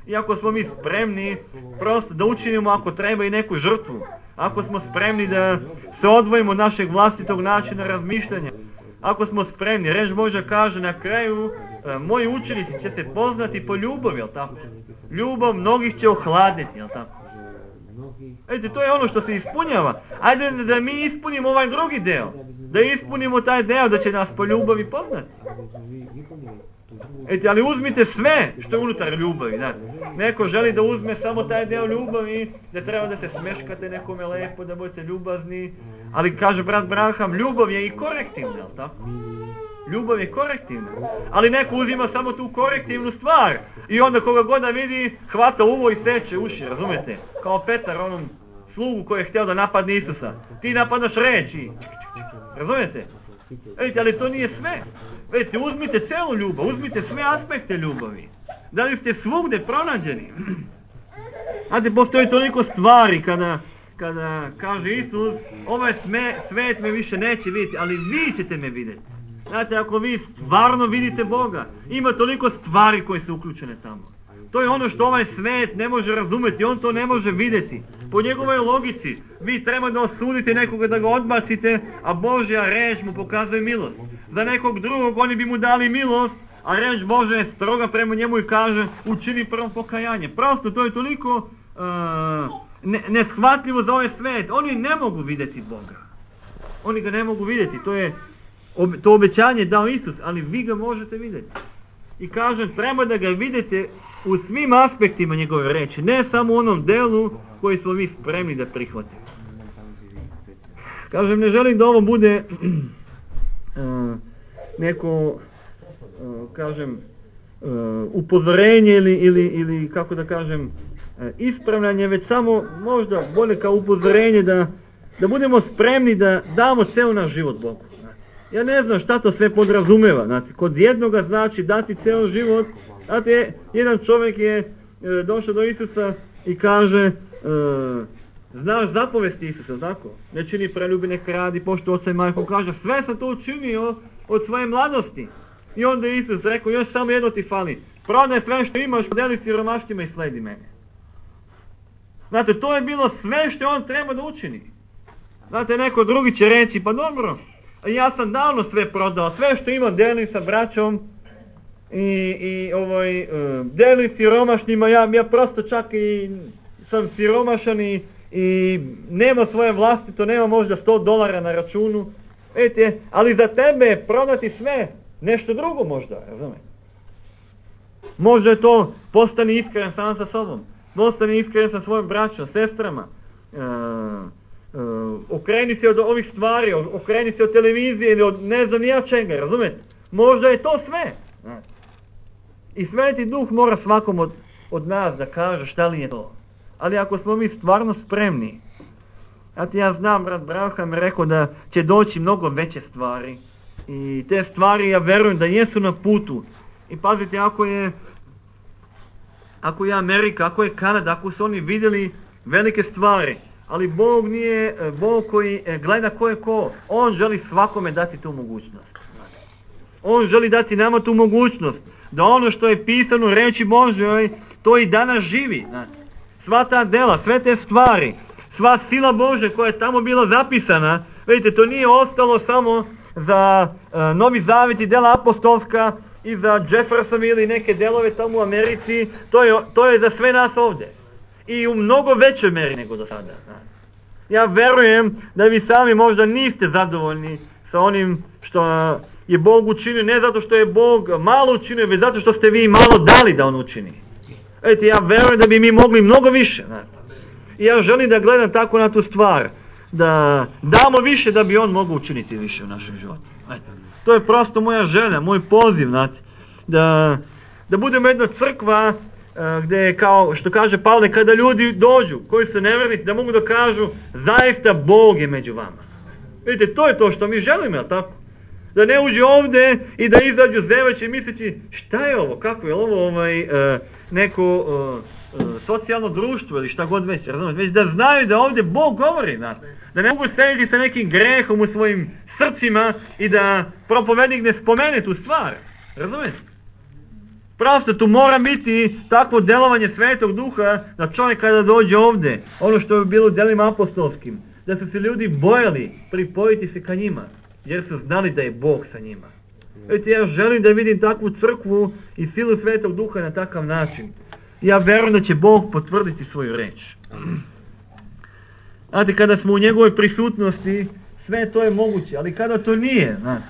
I ako smo mi spremni prosto da učinimo ako treba i neku žrtvu, ako smo spremni da se odvojimo od našeg vlastitog načina razmišljanja, ako smo spremni, reč Božja kaže na kraju, e, moji učenici će se poznati po ljubavi, jel tako? Ljubav mnogih će ohladiti, jel tako? Vidite, to je ono što se ispunjava. Ajde da mi ispunimo ovaj drugi deo, da ispunimo taj deo da će nas po ljubavi poznati. Eti, ali uzmite sve što je unutar ljubavi, da. Neko želi da uzme samo taj deo ljubavi, da treba da se smeškate nekome lepo, da budete ljubazni, ali kaže brat Branham, ljubav je i korektivna, jel tako? Ljubav je korektivna, ali neko uzima samo tu korektivnu stvar i onda koga god da vidi, hvata uvo i seče uši, razumete? Kao Petar, onom slugu koji je htio da napadne Isusa. Ti napadaš reči, razumete? Vidite, ali to nije sve. Vidite, uzmite celu ljubav, uzmite sve aspekte ljubavi. Da li ste svugde pronađeni? Znate, postoji toliko stvari kada, kada kaže Isus, ovaj sme, svet me više neće vidjeti, ali vi ćete me vidjeti. Znate, ako vi stvarno vidite Boga, ima toliko stvari koje su uključene tamo. To je ono što ovaj svet ne može razumjeti, on to ne može vidjeti. Po njegovoj logici, vi treba da osudite nekoga, da ga odbacite, a Božja reč mu pokazuje milost. Za nekog drugog oni bi mu dali milost, a reč Božja je stroga prema njemu i kaže učini prvo pokajanje. Prosto to je toliko uh, ne, neshvatljivo za ovaj svet. Oni ne mogu vidjeti Boga. Oni ga ne mogu vidjeti. To je ob, to obećanje dao Isus, ali vi ga možete vidjeti. I kažem, treba da ga vidite u svim aspektima njegove reči, ne samo u onom delu koji smo mi spremni da prihvatimo. Kažem, ne želim da ovo bude uh, neko, uh, kažem, uh, upozorenje ili, ili, ili, kako da kažem, uh, ispravljanje, već samo možda bolje kao upozorenje da, da budemo spremni da damo ceo naš život Bogu. Ja ne znam šta to sve podrazumeva. Znate, kod jednoga znači dati ceo život. Znate, jedan čovjek je e, došao do Isusa i kaže, e, znaš zapovesti Isusa, tako? Ne čini preljubi, ne kradi, poštuj oca i majku. Kaže, sve sam to učinio od svoje mladosti. I onda je Isus rekao, još samo jedno ti fali. Prodaj sve što imaš, podeli siromaštima i sledi mene. Znate, to je bilo sve što on treba da učini. Znate, neko drugi će reći, pa dobro, ja sam davno sve prodao, sve što imam delim sa braćom i, i ovaj, uh, delim siromašnima, ja, ja prosto čak i sam siromašan i, i nema svoje vlastito, nema možda sto dolara na računu, vidite, ali za tebe prodati sve, nešto drugo možda, razumijete? Možda je to, postani iskren sam sa sobom, postani iskren sa svojim braćom, sestrama, uh, Uh, okreni se od ovih stvari, okreni se od televizije ili od ne znam nija čega, razumijete? Možda je to sve. I Sveti Duh mora svakom od, od nas da kaže šta li je to. Ali ako smo mi stvarno spremni, znate, ja znam, brat Braham je rekao da će doći mnogo veće stvari i te stvari ja verujem da jesu na putu. I pazite, ako je ako je Amerika, ako je Kanada, ako su oni vidjeli velike stvari, ali Bog nije Bog koji gleda ko je ko. On želi svakome dati tu mogućnost. On želi dati nama tu mogućnost da ono što je pisano u reči Božjoj, to i danas živi. Sva ta dela, sve te stvari, sva sila Božja koja je tamo bila zapisana, vidite, to nije ostalo samo za uh, Novi Zavet i dela apostolska i za Jefferson ili neke delove tamo u Americi, to je, to je za sve nas ovdje. I u mnogo većoj meri nego do sada. Ja verujem da vi sami možda niste zadovoljni sa onim što je Bog učinio, ne zato što je Bog malo učinio, već zato što ste vi malo dali da on učini. Vidite, ja verujem da bi mi mogli mnogo više. I ja želim da gledam tako na tu stvar, da damo više da bi on mogao učiniti više u našem životu. To je prosto moja želja, moj poziv, znate, da, da budemo jedna crkva gdje, kao što kaže Pavle, kada ljudi dođu koji su nevjernici, da mogu da kažu zaista Bog je među vama. Vidite, to je to što mi želimo, jel tako? Da ne uđe ovdje i da izađu zeveći misleći šta je ovo, kako je ovo ovaj, uh, neko uh, uh, socijalno društvo ili šta god već, razumijete? Već da znaju da ovdje Bog govori, znači. Da ne mogu sediti sa nekim grehom u svojim srcima i da propovednik ne spomene tu stvar, razumijete? Prosto tu mora biti takvo delovanje Svetog Duha da čovjek kada dođe ovdje, ono što je bilo u delima apostolskim, da su se ljudi bojali pripojiti se ka njima, jer su znali da je Bog sa njima. Vidite, ja želim da vidim takvu crkvu i silu Svetog Duha na takav način. Ja verujem da će Bog potvrditi svoju reč. Znate, kada smo u njegovoj prisutnosti, sve to je moguće, ali kada to nije, znate,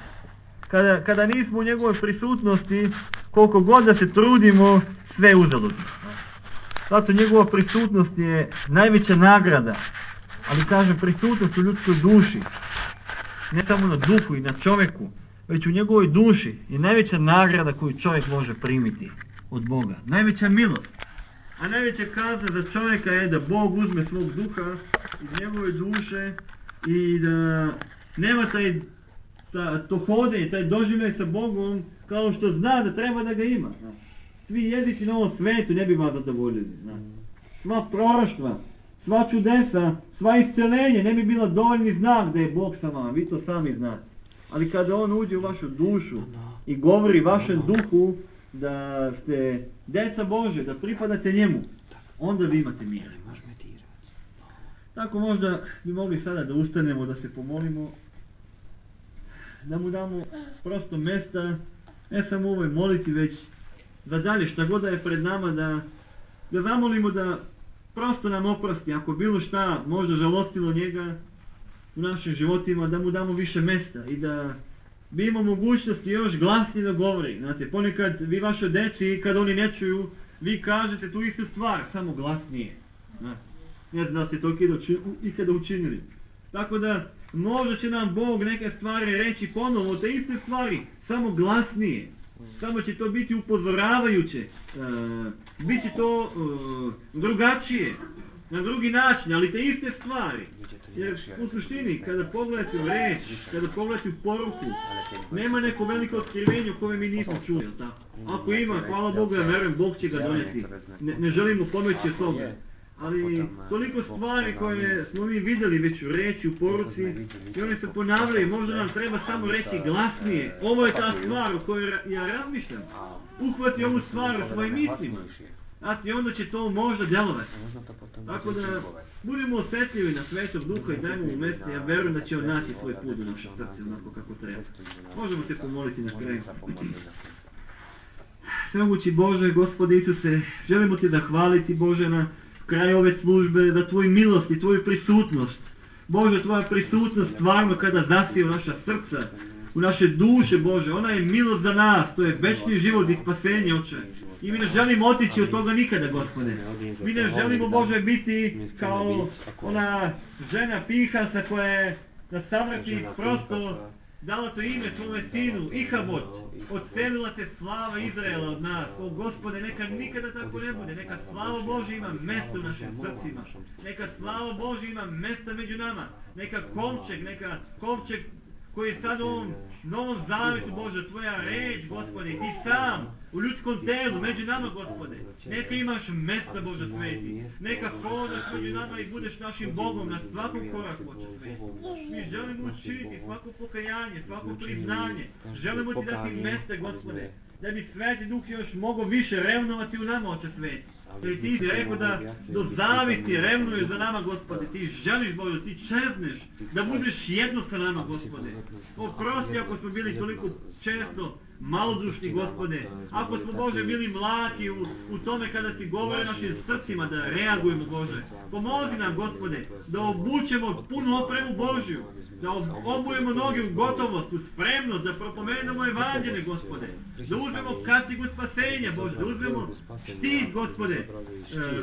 kada, kada nismo u njegovoj prisutnosti, koliko god da se trudimo, sve je uzaludno. Zato njegova prisutnost je najveća nagrada, ali kažem, prisutnost u ljudskoj duši, ne samo na duhu i na čovjeku, već u njegovoj duši je najveća nagrada koju čovjek može primiti od Boga. Najveća milost. A najveća kazna za čovjeka je da Bog uzme svog duha iz njegove duše i da nema taj, ta, to hodenje, taj doživljaj sa Bogom kao što zna da treba da ga ima. Svi jezici na ovom svetu ne bi vas zadovoljili. Sva proroštva, sva čudesa, sva isceljenje ne bi bila dovoljni znak da je Bog sa vama. Vi to sami znate. Ali kada on uđe u vašu dušu i govori vašem duhu da ste djeca Bože, da pripadate njemu, onda vi imate mir. Tako možda bi mogli sada da ustanemo, da se pomolimo, da mu damo prosto mjesta, ne samo u ovoj moliti, već za dalje šta god da je pred nama, da, da zamolimo da prosto nam oprosti, ako bilo šta možda žalostilo njega u našim životima, da mu damo više mjesta i da bi imao mogućnosti još glasnije da govori. Znate, ponekad vi vaše deci, kad oni ne čuju, vi kažete tu istu stvar, samo glasnije. Ne znam da ste to ikada učinili. Tako da, možda će nam Bog neke stvari reći ponovo, te iste stvari, samo glasnije. Samo će to biti upozoravajuće. E, Biće to e, drugačije, na drugi način, ali te iste stvari. Jer u suštini, kada pogledate u reč, kada pogledate u poruku, nema neko veliko otkrivenje u koje mi nismo čuli. Ako ima, hvala Bogu, ja verujem, Bog će ga donijeti. Ne, ne želimo pomoći od toga. Ali toliko stvari koje smo mi vidjeli već u reči, u poruci, i one se ponavljaju, možda nam treba samo reći glasnije. Ovo je ta stvar o kojoj ja razmišljam. Uhvati ovu stvar u svojim mislima. I onda će to možda djelovati. Tako da budemo osjetljivi na Svetog Duha i dajmo mu mjesto. Ja verujem da će on naći svoj put u naše srce onako kako treba. Možemo se pomoliti na kraju. Svemogući Bože, Gospode Isuse, želimo Ti zahvaliti Bože na kraju ove službe, da Tvoj milost i Tvoju prisutnost, Bože, Tvoja prisutnost stvarno kada zasije u naša srca, u naše duše, Bože, ona je milost za nas, to je večni život i spasenje, Oče. I mi ne želimo otići od toga nikada, Gospode. Mi ne želimo, Bože, biti kao ona žena Pinhasa koja je na samrti prosto dala to ime svome sinu, Ihabod. Odselila se slava Izraela od nas. O Gospode, neka nikada tako ne bude. Neka slava Božja ima mjesto u našim srcima. Neka slava Božja ima mjesta među nama. Neka kovčeg, neka kovčeg koji je sad u ovom novom zavjetu, Bože, Tvoja reč, Gospode, Ti sam u ljudskom telu, među nama, Gospode. Neka imaš mjesta, Bože Sveti. Neka hodaš među nama i budeš našim Bogom na svakom koraku, Bože Sveti. Mi želimo učiniti svako pokajanje, svako priznanje. Želimo Ti dati mjesta, Gospode, da bi Sveti Duh još mogao više revnovati u nama, Oče Sveti. Jer Ti si rekao da do zavisti revnuješ za nama, Gospode. Ti želiš, Bože, Ti čezneš da budeš jedno sa nama, Gospode. Oprosti ako smo bili toliko često malodušni, Gospode. Ako smo, Bože, bili mlaki u, u tome kada si govore našim srcima da reagujemo, Bože. Pomozi nam, Gospode, da obučemo punu opremu Božju. Da obujemo noge u gotovost, u spremnost, da propomenemo evanđelje, Gospode. Da uzmemo kacigu spasenja, Bože, da uzmemo štit, Gospode, e,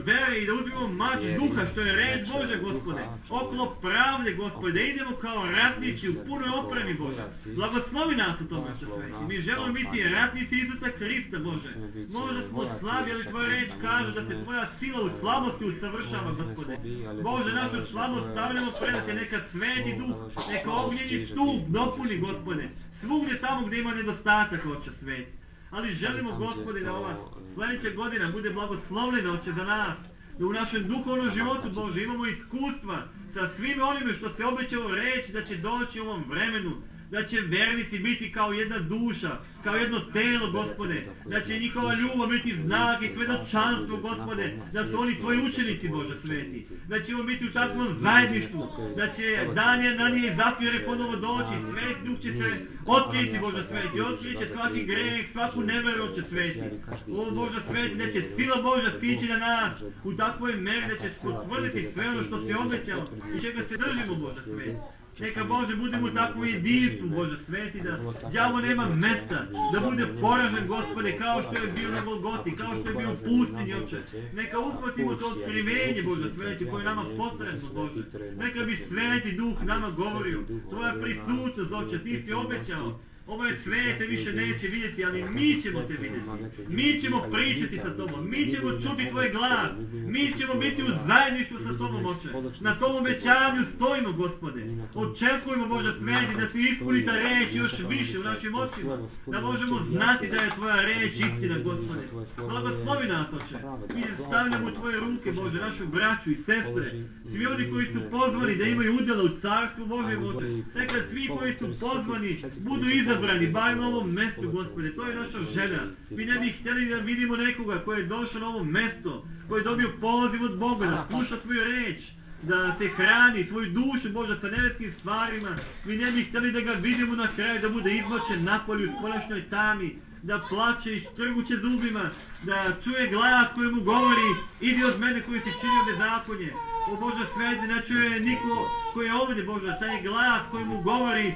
vere i da uzmemo mač duha, što je reč Bože, Gospode. Oklop pravde, Gospode, da idemo kao ratnici u punoj opremi, Bože. Blagoslovi nas u tome, Oče Sveti. Mi želimo biti ratnici Isusa Hrista, Bože. Možda smo slabi, ali Tvoja reč kaže da se Tvoja sila u slabosti usavršava, Gospode. Bože, našu slabost stavljamo pred Te, neka Sveti Duh, neka ognjeni stup dopuni, Gospode, svugdje tamo gdje ima nedostatak, Oče Sveti. Ali želimo, Gospode, da ova sljedeća godina bude blagoslovljena, Oče, za nas, da u našem duhovnom životu, Bože, imamo iskustva sa svim onime što se obećalo reći da će doći u ovom vremenu, da će vernici biti kao jedna duša, kao jedno telo, Gospode, da će njihova ljubav biti znak i svedočanstvo, Gospode, da su oni Tvoji učenici, Bože Sveti, da ćemo biti u takvom zajedništvu, da će dan na nje i Zafire ponovo doći, Sveti Duh će se otkriti, Bože Sveti, otkriti će svaki greh, svaku neveru, Oče Sveti. O Bože Sveti, da će sila Božja stići na nas u takvoj meri, da će potvrditi sve ono što se obećalo i čega se držimo, Bože Sveti. Neka, Bože, budemo u takvom jedinstvu, Bože Sveti, da đavo nema mesta, da bude poražen, Gospode, kao što je bio na Golgoti, kao što je bio u pustinji, Oče. Neka uhvatimo to otkrivenje, Bože Sveti, koje je nama potrebno, Bože. Neka bi Sveti Duh nama govorio, Tvoja prisutnost, Oče, Ti si obećao. Ovaj svijet te više neće vidjeti, ali mi ćemo te vidjeti. Mi ćemo pričati sa Tobom, mi ćemo čuti Tvoj glas, mi ćemo biti u zajedništvu sa Tobom, Oče. Na tom obećanju stojimo, Gospode. Očekujemo, Bože Sveti, da se ispuni ta reč još više u našim očima. Da možemo znati da je Tvoja reč istina, Gospode. Blagoslovi nas, Oče. Mi stavljamo u Tvoje ruke, Bože, našu braću i sestre. Svi oni koji su pozvani da imaju udjela u carstvu Božjem, Oče. Neka svi koji su pozvani budu izabrani, bar na ovom mjestu, Gospode. To je naša želja. Mi ne bi htjeli da vidimo nekoga koji je došao na ovo mjesto, koji je dobio poziv od Boga da sluša Tvoju reč, da se hrani svoju dušu, Bože, sa nebeskim stvarima. Mi ne bi htjeli da ga vidimo na kraju, da bude izmočen napolju u spoljašnjoj tami, da plače i štrguće zubima, da čuje glas koji mu govori, idi od mene koji si činio bezakonje. O Bože Sveti, ne čuje niko koji je ovdje, Bože, taj glas koji mu govori,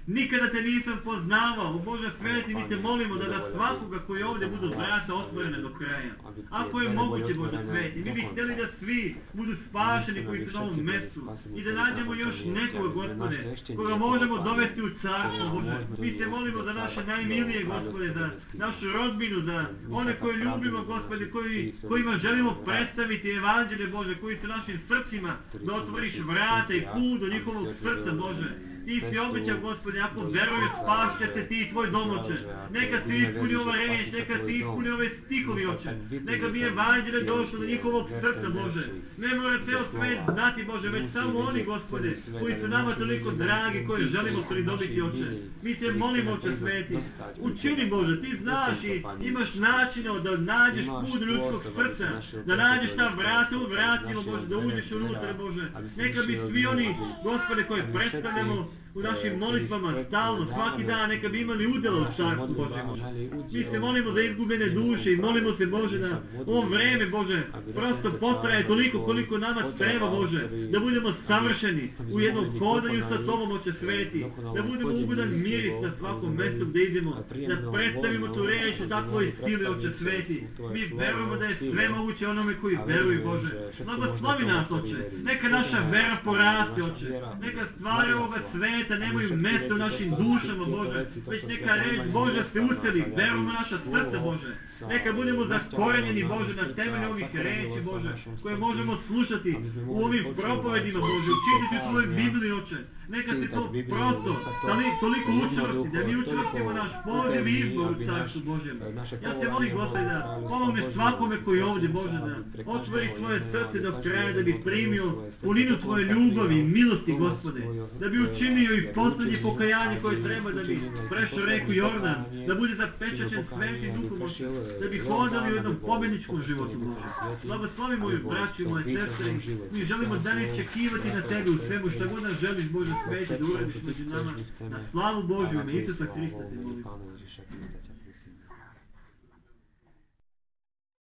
nikada te nisam poznavao. Bože sveti, mi te molimo da ga svakoga koji ovdje budu vrata otvorene do kraja. Ako je moguće, Bože sveti, mi bi htjeli da svi budu spašeni koji su na ovom mjestu i da nađemo još nekoga, Gospode, koga možemo dovesti u carstvo, Bože. Mi se molimo za naše najmilije, Gospode, za našu rodbinu, za one koje ljubimo, Gospode, koji, kojima želimo predstaviti evanđelje, Bože, koji su našim srcima, da otvoriš vrata i put do njihovog srca, Bože. Ti si obećao, Gospode, ako veruješ, spašće se ti i tvoj dom, Oče. Neka si ispuni ova reč, neka si ispuni ove stihovi, Oče. Neka bi evanđelje došlo do njihovog srca, Bože. Ne mora ceo svet znati, Bože, već samo oni, Gospode, koji su nama toliko dragi, koje želimo pridobiti, Oče. Mi te molimo, Oče sveti. Učini, Bože, ti znaš i imaš načina da nađeš put ljudskog srca, da nađeš ta vrata u vratima, Bože, da uđeš unutra, Bože. Neka bi svi oni, Gospode, koje predstavljamo u našim molitvama stalno, svaki dan, neka bi imali udjela u carstvu Bože. Mi se molimo za izgubljene duše i molimo se, Bože, da ovo vreme, Bože, prosto potraje toliko koliko nama treba, Bože, da budemo savršeni u jednom hodanju sa Tobom, Oče sveti, da budemo ugodan miris na svakom mjestu gdje idemo, da predstavimo tu reč u takvoj sili, Oče sveti. Mi verujemo da je sve moguće onome koji veruju, Bože. Blagoslovi nas, Oče, neka naša vera poraste, Oče, neka stvari ovoga sveta nemaju mjesto u našim dušama, Bože, već neka reč, Bože, se useli, verujemo naša srca, Bože. Neka budemo zakorenjeni, Bože, na temelju ovih reči, Bože, koje možemo slušati u ovim propovedima, Bože, učitati u Tvojoj Bibliji, Oče. Neka se to prosto, da li toliko učvrsti, da mi učvrstimo naš poziv i izbor u Carstvu Božjem. Ja se molim, Gospode, da pomogne svakome koji je ovdje, Bože, da otvori svoje srce do kraja, da bi primio puninu Tvoje ljubavi i milosti, Gospode, da bi učinio i posljednje pokajanje koje treba da bi prešao reku Jordan, da bude zapečaćen svetim duhom, Oče, da bi hodali u jednom pobjedničkom životu, Bože. Blagoslovi moju braću i moje sestre, mi želimo dalje čekivati na Tebe u svemu što god nas želiš, Bože sveti, da uradiš među nama, na slavu Božju, ime Isusa Hrista te molim.